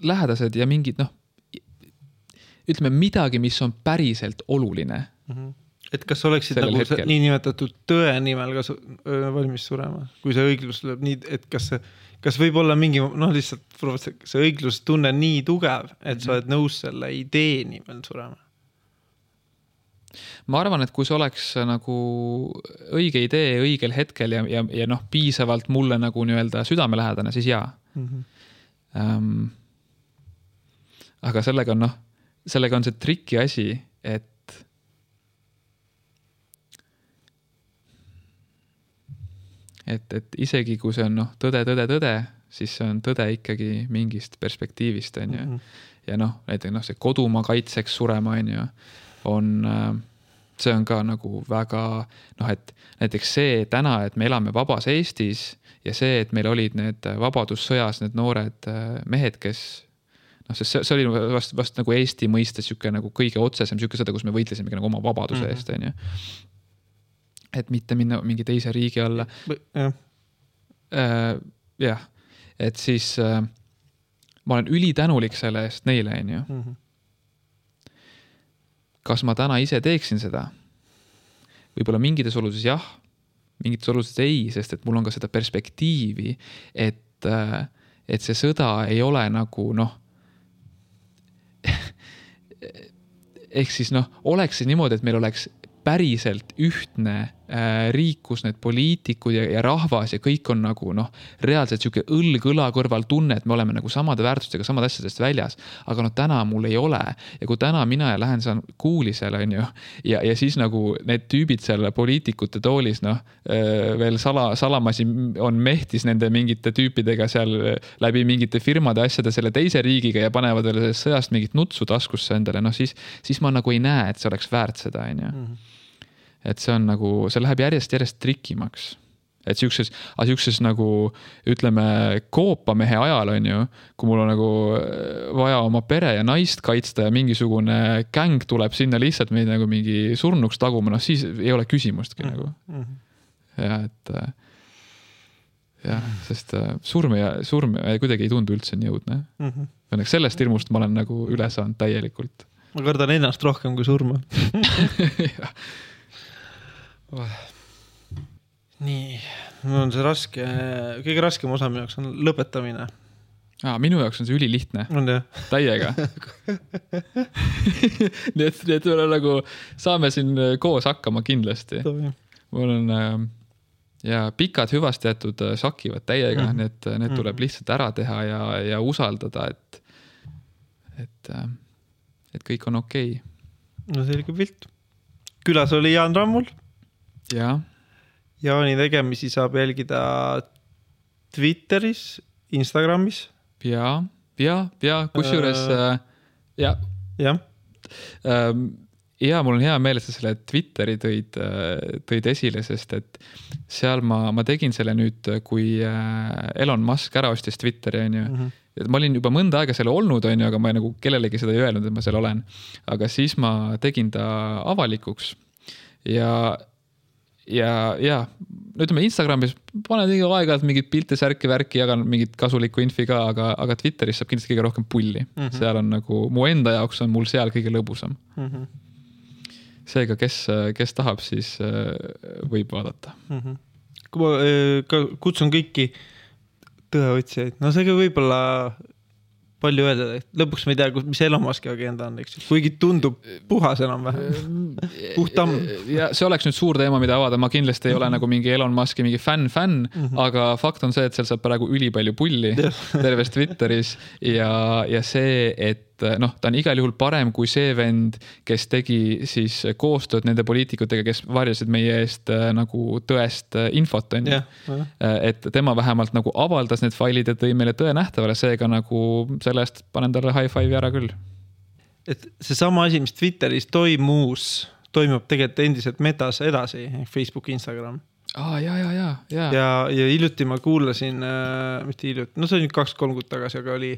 Lähedased ja mingid, ütleme midagi, mis on päriselt oluline. Et kas oleksid nagu nii nimetatud tõe nimel valmis surema? Kui see õiglus lööb nii, et kas võib olla mingi, lihtsalt see õiglus tunne nii tugev, et sa oled nõus selle idee nimel surema? Ma arvan, et kui see oleks nagu õige idee õigel hetkel ja piisavalt mulle nagu nii-öelda südamelähedane, siis jaa. Aga sellega on see triki asi, et isegi kui see on tõde, siis see on tõde ikkagi mingist perspektiivist, on ju. Ja näiteks see kodumaa kaitseks surema, on see on ka nagu väga, et näiteks see täna, et me elame vabas Eestis ja see, et meil olid need vabadussõjas need noored mehed, kes see oli vast nagu Eesti mõistes nagu kõige otsesem seda, kus me võitlesime nagu oma vabaduse eest, on ju. Et mitte minna mingi teise riigi alla. Jah, et siis ma olen ülitänulik selle eest neile, on ju. Kas ma täna ise teeksin seda? Võib-olla mingites oludes jah, mingites oludes ei, sest et mul on ka seda perspektiivi, et see sõda ei ole nagu ehk siis oleks see niimoodi, et meil oleks päriselt ühtne riik, kus need poliitikud ja rahvas ja kõik on nagu reaalselt siuke õlg-õla kõrval tunne, et me oleme nagu samade väärtustega, samad asjadest väljas, aga täna mul ei ole ja kui täna mina lähen saan kuuli seal, on ju, ja siis nagu need tüübid seal poliitikute toolis, veel salamasi on mehtis nende mingite tüüpidega seal läbi mingite firmade asjade selle teise riigiga ja panevad veel sellest sõjast mingit nutsu taskusse endale, siis ma nagu ei näe, et see oleks väärt seda, on ju. Et see on nagu, see läheb järjest trikimaks. Et siukses nagu, ütleme, koopamehe ajal on ju, kui mul on nagu vaja oma pere ja naist kaitsta ja mingisugune gäng tuleb sinna lihtsalt meid nagu mingi surnuks taguma, siis ei ole küsimustki nagu. Ja sest surm kuidagi ei tundu üldse nii jõudne. Õnneks sellest hirmust ma olen nagu üle saanud täielikult. Ma kardan ennast rohkem kui surma. Nii, on see raske, kõige raskem osa minu jaoks on lõpetamine. Minu jaoks on see ülilihtne. On jah? Täiega. nii et nagu saame siin koos hakkama kindlasti. Mul on pikad hüvasti jätud sakivad täiega, need tuleb lihtsalt ära teha ja usaldada, et kõik on okei. No selge pilt. Külas oli Jaan Rammul. Jaa. Jaani tegemisi saab jälgida Twitteris, Instagramis. Ja, kusjuures ja. Ja mul on hea meel, et sa selle Twitteri tõid esile, sest et seal ma tegin selle nüüd, kui Elon Musk ära ostis Twitteri, on ju. Et ma olin juba mõnda aega seal olnud, on ju, aga ma nagu kellelegi seda ei öelnud, et ma seal olen. Aga siis ma tegin ta avalikuks ja ütleme Instagramis panen iga aeg-ajalt mingid pilte, särki, värki, jagan mingit kasulikku infi ka, aga Twitteris saab kindlasti kõige rohkem pulli. Seal on nagu, mu enda jaoks on mul seal kõige lõbusam. Seega, kes tahab, siis võib vaadata. Kui ma kutsun kõiki tõeotsijaid, no seega võib-olla palju öelda, et lõpuks ma ei tea, mis Elon Muski agenda on, eks? Kuigi tundub puhas enam-vähem. Puhtam. Ja see oleks nüüd suur teema, mida avada. Ma kindlasti ei ole nagu mingi Elon Muski mingi fänn, aga fakt on see, et seal saab praegu ülipalju pulli terves Twitteris ja see, et ta on igal juhul parem kui see vend, kes tegi siis koostööd nende poliitikutega, kes varjasid meie eest nagu tõest infot, on ju. Et tema vähemalt nagu avaldas need failid ja tõi meile tõe nähtavale, seega nagu sellest panen talle high five ära küll. Et see sama asi, mis Twitteris toimub tegelikult endiselt metas edasi, Facebook, Instagram. Ja hiljuti ma kuulasin, mitte hiljuti, no see oli 2-3 kuud tagasi, aga oli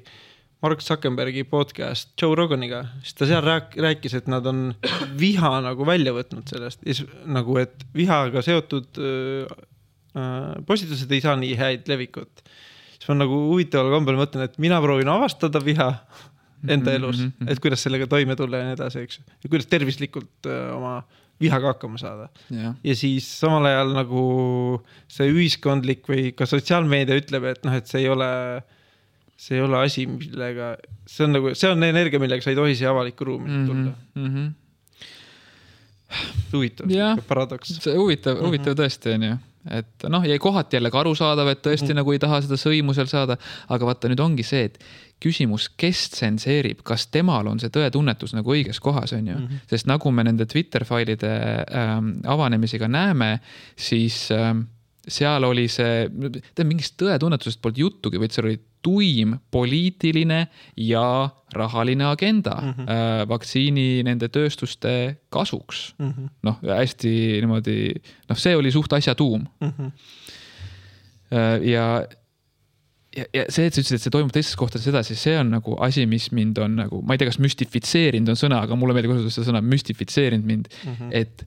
Mark Zuckerbergi podcast Joe Roganiga, siis ta seal rääkis, et nad on viha nagu välja võtnud sellest, nagu et vihaga seotud postitused ei saa nii häid levikut. Siis ma nagu huvitaval kombel mõtlen, et mina proovin avastada viha enda elus, et kuidas sellega toime tulla ja nii edasi, eks. Ja kuidas tervislikult oma vihaga hakkama saada. Ja siis samal ajal nagu see ühiskondlik või ka sotsiaalmeedia ütleb, et et see ei ole asi, millega see on energia, millega sa ei tohi siia avalikku ruumi tulla. Huvitav, paradoks. See huvitav tõesti on ju. Et ja kohati jälle arusaadav, et tõesti nagu ei taha seda sõimu seal saada, aga vaata nüüd ongi see, et küsimus, kes tsenseerib, kas temal on see tõetunnetus nagu õiges kohas, on ju. Sest nagu me nende Twitter-failide avanemisiga näeme, siis seal oli see, mingist tõetunnetusest poolt juttugi, vaid seal oli tuim poliitiline ja rahaline agenda vaktsiini nende tööstuste kasuks. Hästi niimoodi, see oli suht asja tuum. Ja see, et sa ütlesid, et see toimub teistes kohtades edasi, see on nagu asi, mis mind on nagu, ma ei tea, kas müstifitseerinud on sõna, aga mulle meeldib kasutada seda sõna müstifitseerinud mind, et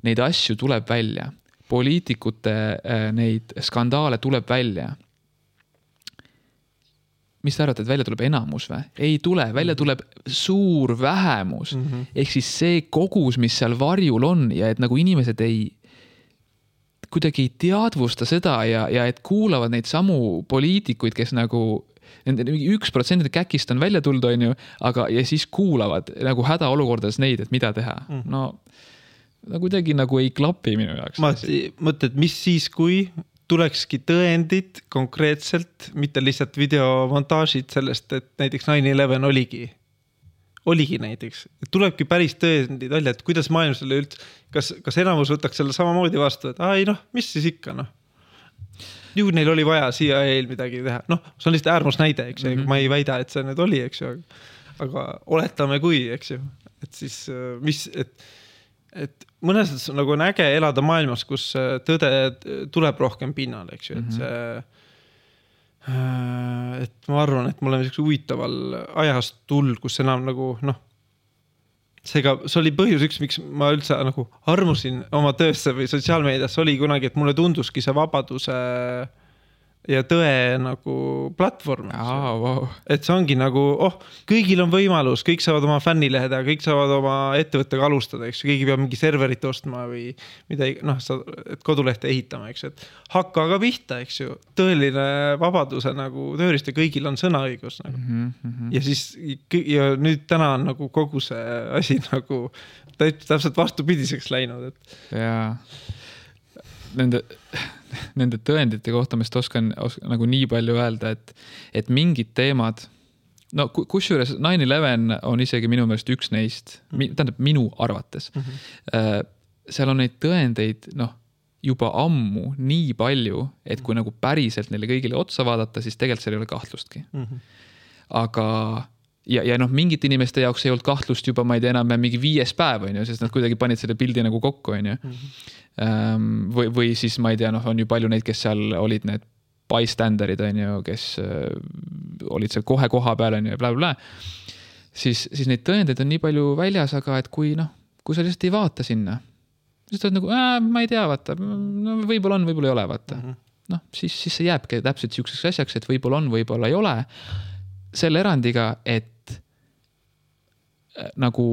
neid asju tuleb välja. Poliitikute neid skandaale tuleb välja. Mis te arvate, et välja tuleb enamus või? Ei tule, välja tuleb suur vähemus. Ehk siis see kogus, mis seal varjul on ja et nagu inimesed kuidagi ei teadvusta seda ja et kuulavad neid samu poliitikuid, kes nagu nende 1% käkist on välja tulnud, on ju, aga ja siis kuulavad nagu hädaolukordades neid, et mida teha. No kuidagi nagu ei klapi minu jaoks. Ma mõtled, mis siis, kui tulekski tõendid konkreetselt, mitte lihtsalt videomontaažid sellest, et näiteks 9/11 oligi näiteks. Et tulebki päris tõendid välja, et kuidas maailm selle üldse, kas enamus võtaks selle samamoodi vastu, et mis siis ikka, Ju neil oli vaja CIA-l midagi teha. See on lihtsalt äärmus näide, eks ju. Ma ei väida, et see nüüd oli, eks ju. Aga oletame kui, eks ju. Et siis, et mõnes nagu on äge elada maailmas, kus tõde tuleb rohkem pinnale, eks ju. Et ma arvan, et me oleme selline huvitaval ajast tull, kus enam nagu, see oli põhjus üks, miks ma üldse nagu armusin oma töösse või sotsiaalmeediasse oli kunagi, et mulle tunduski see vabaduse ja tõe nagu platvorm. Wow. Et see ongi nagu, kõigil on võimalus, kõik saavad oma fännilehed ja kõik saavad oma ettevõttega alustada, eks. Keegi peab mingi serverit ostma või midagi, et kodulehte ehitama, eks. Et hakka aga pihta, eks ju. Tõeline vabaduse nagu tööriist ja kõigil on sõnaõigus. Nagu. Ja siis, ja nüüd täna on nagu kogu see asi nagu täpselt vastupidiseks läinud. Jaa. Nende tõendite kohta ma oskan nagu nii palju öelda, et mingid teemad, kusjuures 9/11 on isegi minu meelest üks neist, tähendab minu arvates. Seal on neid tõendeid, juba ammu nii palju, et kui nagu päriselt neile kõigile otsa vaadata, siis tegelikult seal ei ole kahtlustki. Aga ja noh, mingite inimeste jaoks ei olnud kahtlust juba, ma ei tea enam mingi 5. päev, on ju, sest nad kuidagi panid selle pildi nagu kokku, on ju. Või siis ma ei tea, noh, on ju palju neid, kes seal olid need bystanderid, on ju, kes olid seal kohe koha peal, on ju, ja bla. Siis neid tõendeid on nii palju väljas, aga et kui sa lihtsalt ei vaata sinna, siis ta on nagu, ma ei tea, vaata, no, võib-olla on, võib-olla ei ole, vaata. Noh, siis see jääbki täpselt siukseks asjaks, et võib-olla on, võib-olla ei ole. Selle erandiga, et nagu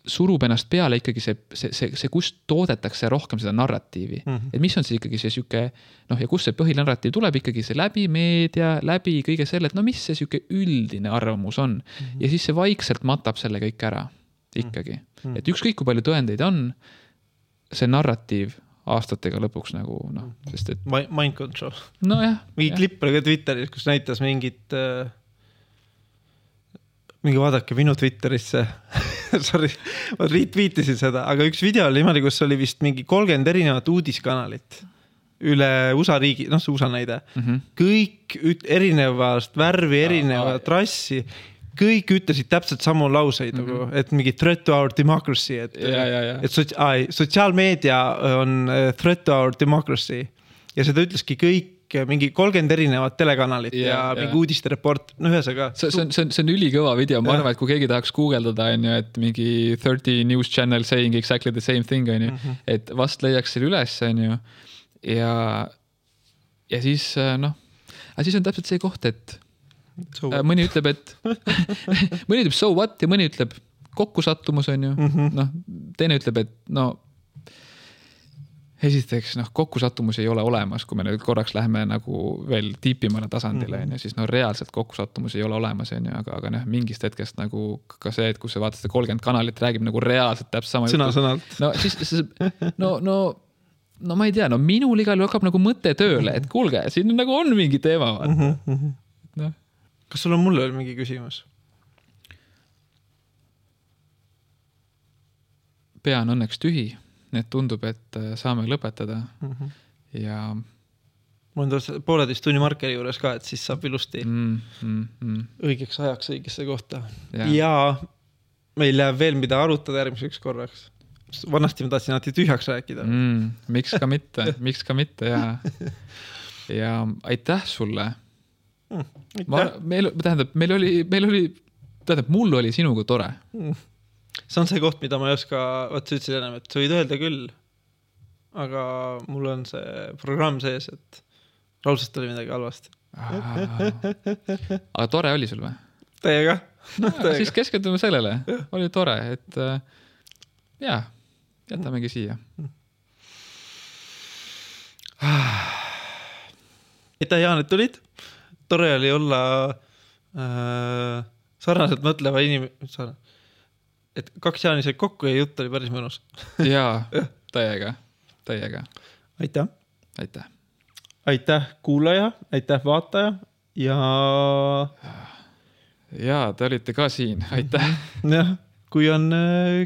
surub ennast peale ikkagi see kust toodetakse rohkem seda narratiivi. Et mis on siis ikkagi see süke, noh, ja kus see põhilinarratiiv tuleb ikkagi see läbi meedia, läbi kõige selle, et no mis see süke üldine arvamus on. Ja siis see vaikselt matab selle kõik ära ikkagi. Et ükskõik kui palju tõendeid on, see narratiiv aastatega lõpuks nagu, noh, sest et... Mind control. No jah. Mingi klipp oli ka Twitteris, kus näitas mingi vaadake minu Twitterisse. Sorry, ma retweetisin seda, aga üks video oli niimoodi, kus oli vist mingi 30 erinevat uudiskanalit üle USA riigi, noh, see USA näide. Kõik erinevast värvi, erinevat rassi, kõik ütlesid täpselt samu lauseid, et mingi threat to our democracy, et sotsiaalmeedia on threat to our democracy ja seda ütleski kõik mingi 30 erinevat telekanalit ja mingi uudiste report, no ühesega. See on ülikõva video, ma arvan, et kui keegi tahaks guugeldada, on ju, et mingi 30 news channel saying exactly the same thing, on ju, et vast leiaks selle üles, on ju, ja siis, noh, aga siis on täpselt see koht, et mõni ütleb, et mõni ütleb so what ja mõni ütleb kokkusattumus, on ju, noh, teine ütleb, et no esiteks, noh, kokkusattumus ei ole olemas, kui me nüüd korraks läheme nagu veel tiipimale tasandile, on ju, siis no reaalselt kokkusattumus ei ole olemas, on ju, aga noh, mingist hetkest nagu ka see, et kus sa vaatad 30 kanalit, räägib nagu reaalselt täpselt sama sõna-sõnalt. No siis, no ma ei tea, no minul igal hakkab nagu mõte tööle, et kuulge, siin nagu on mingi teema, vaata. No. Kas sul on mulle veel mingi küsimus? Pea on õnneks tühi. Need tundub, et saame lõpetada ja... Ma olen 1,5 tunni markeri juures ka, et siis saab ilusti õigeks ajaks õigesse kohta. Ja meil läheb veel mida arutada järgmiseks korraks. Vanasti ma tahtsin alati tühjaks rääkida. Miks ka mitte, ja aitäh sulle. Mul oli sinuga tore. See on see koht, mida ma ei oska, sa ütlesid enam, et sa võid öelda küll, aga mul on see programm sees, et raudselt oli midagi halvasti. Aga tore oli sul või? Teiega. Siis keskendume sellele. Oli tore, et jätamegi siia. Aitäh, Jaan, et tulid. Tore oli olla sarnaselt mõtleva inimene. Et 2 Jaani said kokku ja jutt oli päris mõnus. Jaa, täiega. Aitäh. Aitäh kuulaja, aitäh vaataja ja te olite ka siin, aitäh. Jah, kui on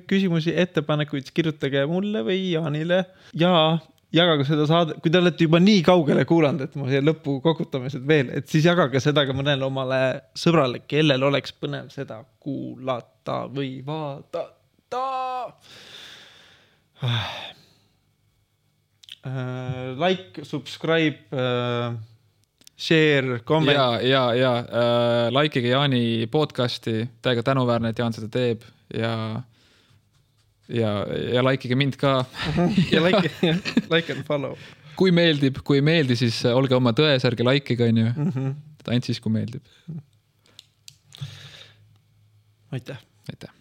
küsimusi, ettepanekuid, kirjutage mulle või Jaanile ja jagage seda saade, kui te olete juba nii kaugele kuulanud, et ma siia lõppu kokutamised veel, et siis jagage seda ka mõnele omale sõbrale, kellel oleks põnev seda kuulata või vaadata. Like, subscribe, share, comment. Ja likeige Jaani podcasti, täiega tänuväärne, et Jaan seda teeb ja likeige mind ka. Ja like and follow. Kui meeldi, siis olge oma tões, ärge likeige, on ju. Ainult siis, kui meeldib. Aitäh. Aitäh.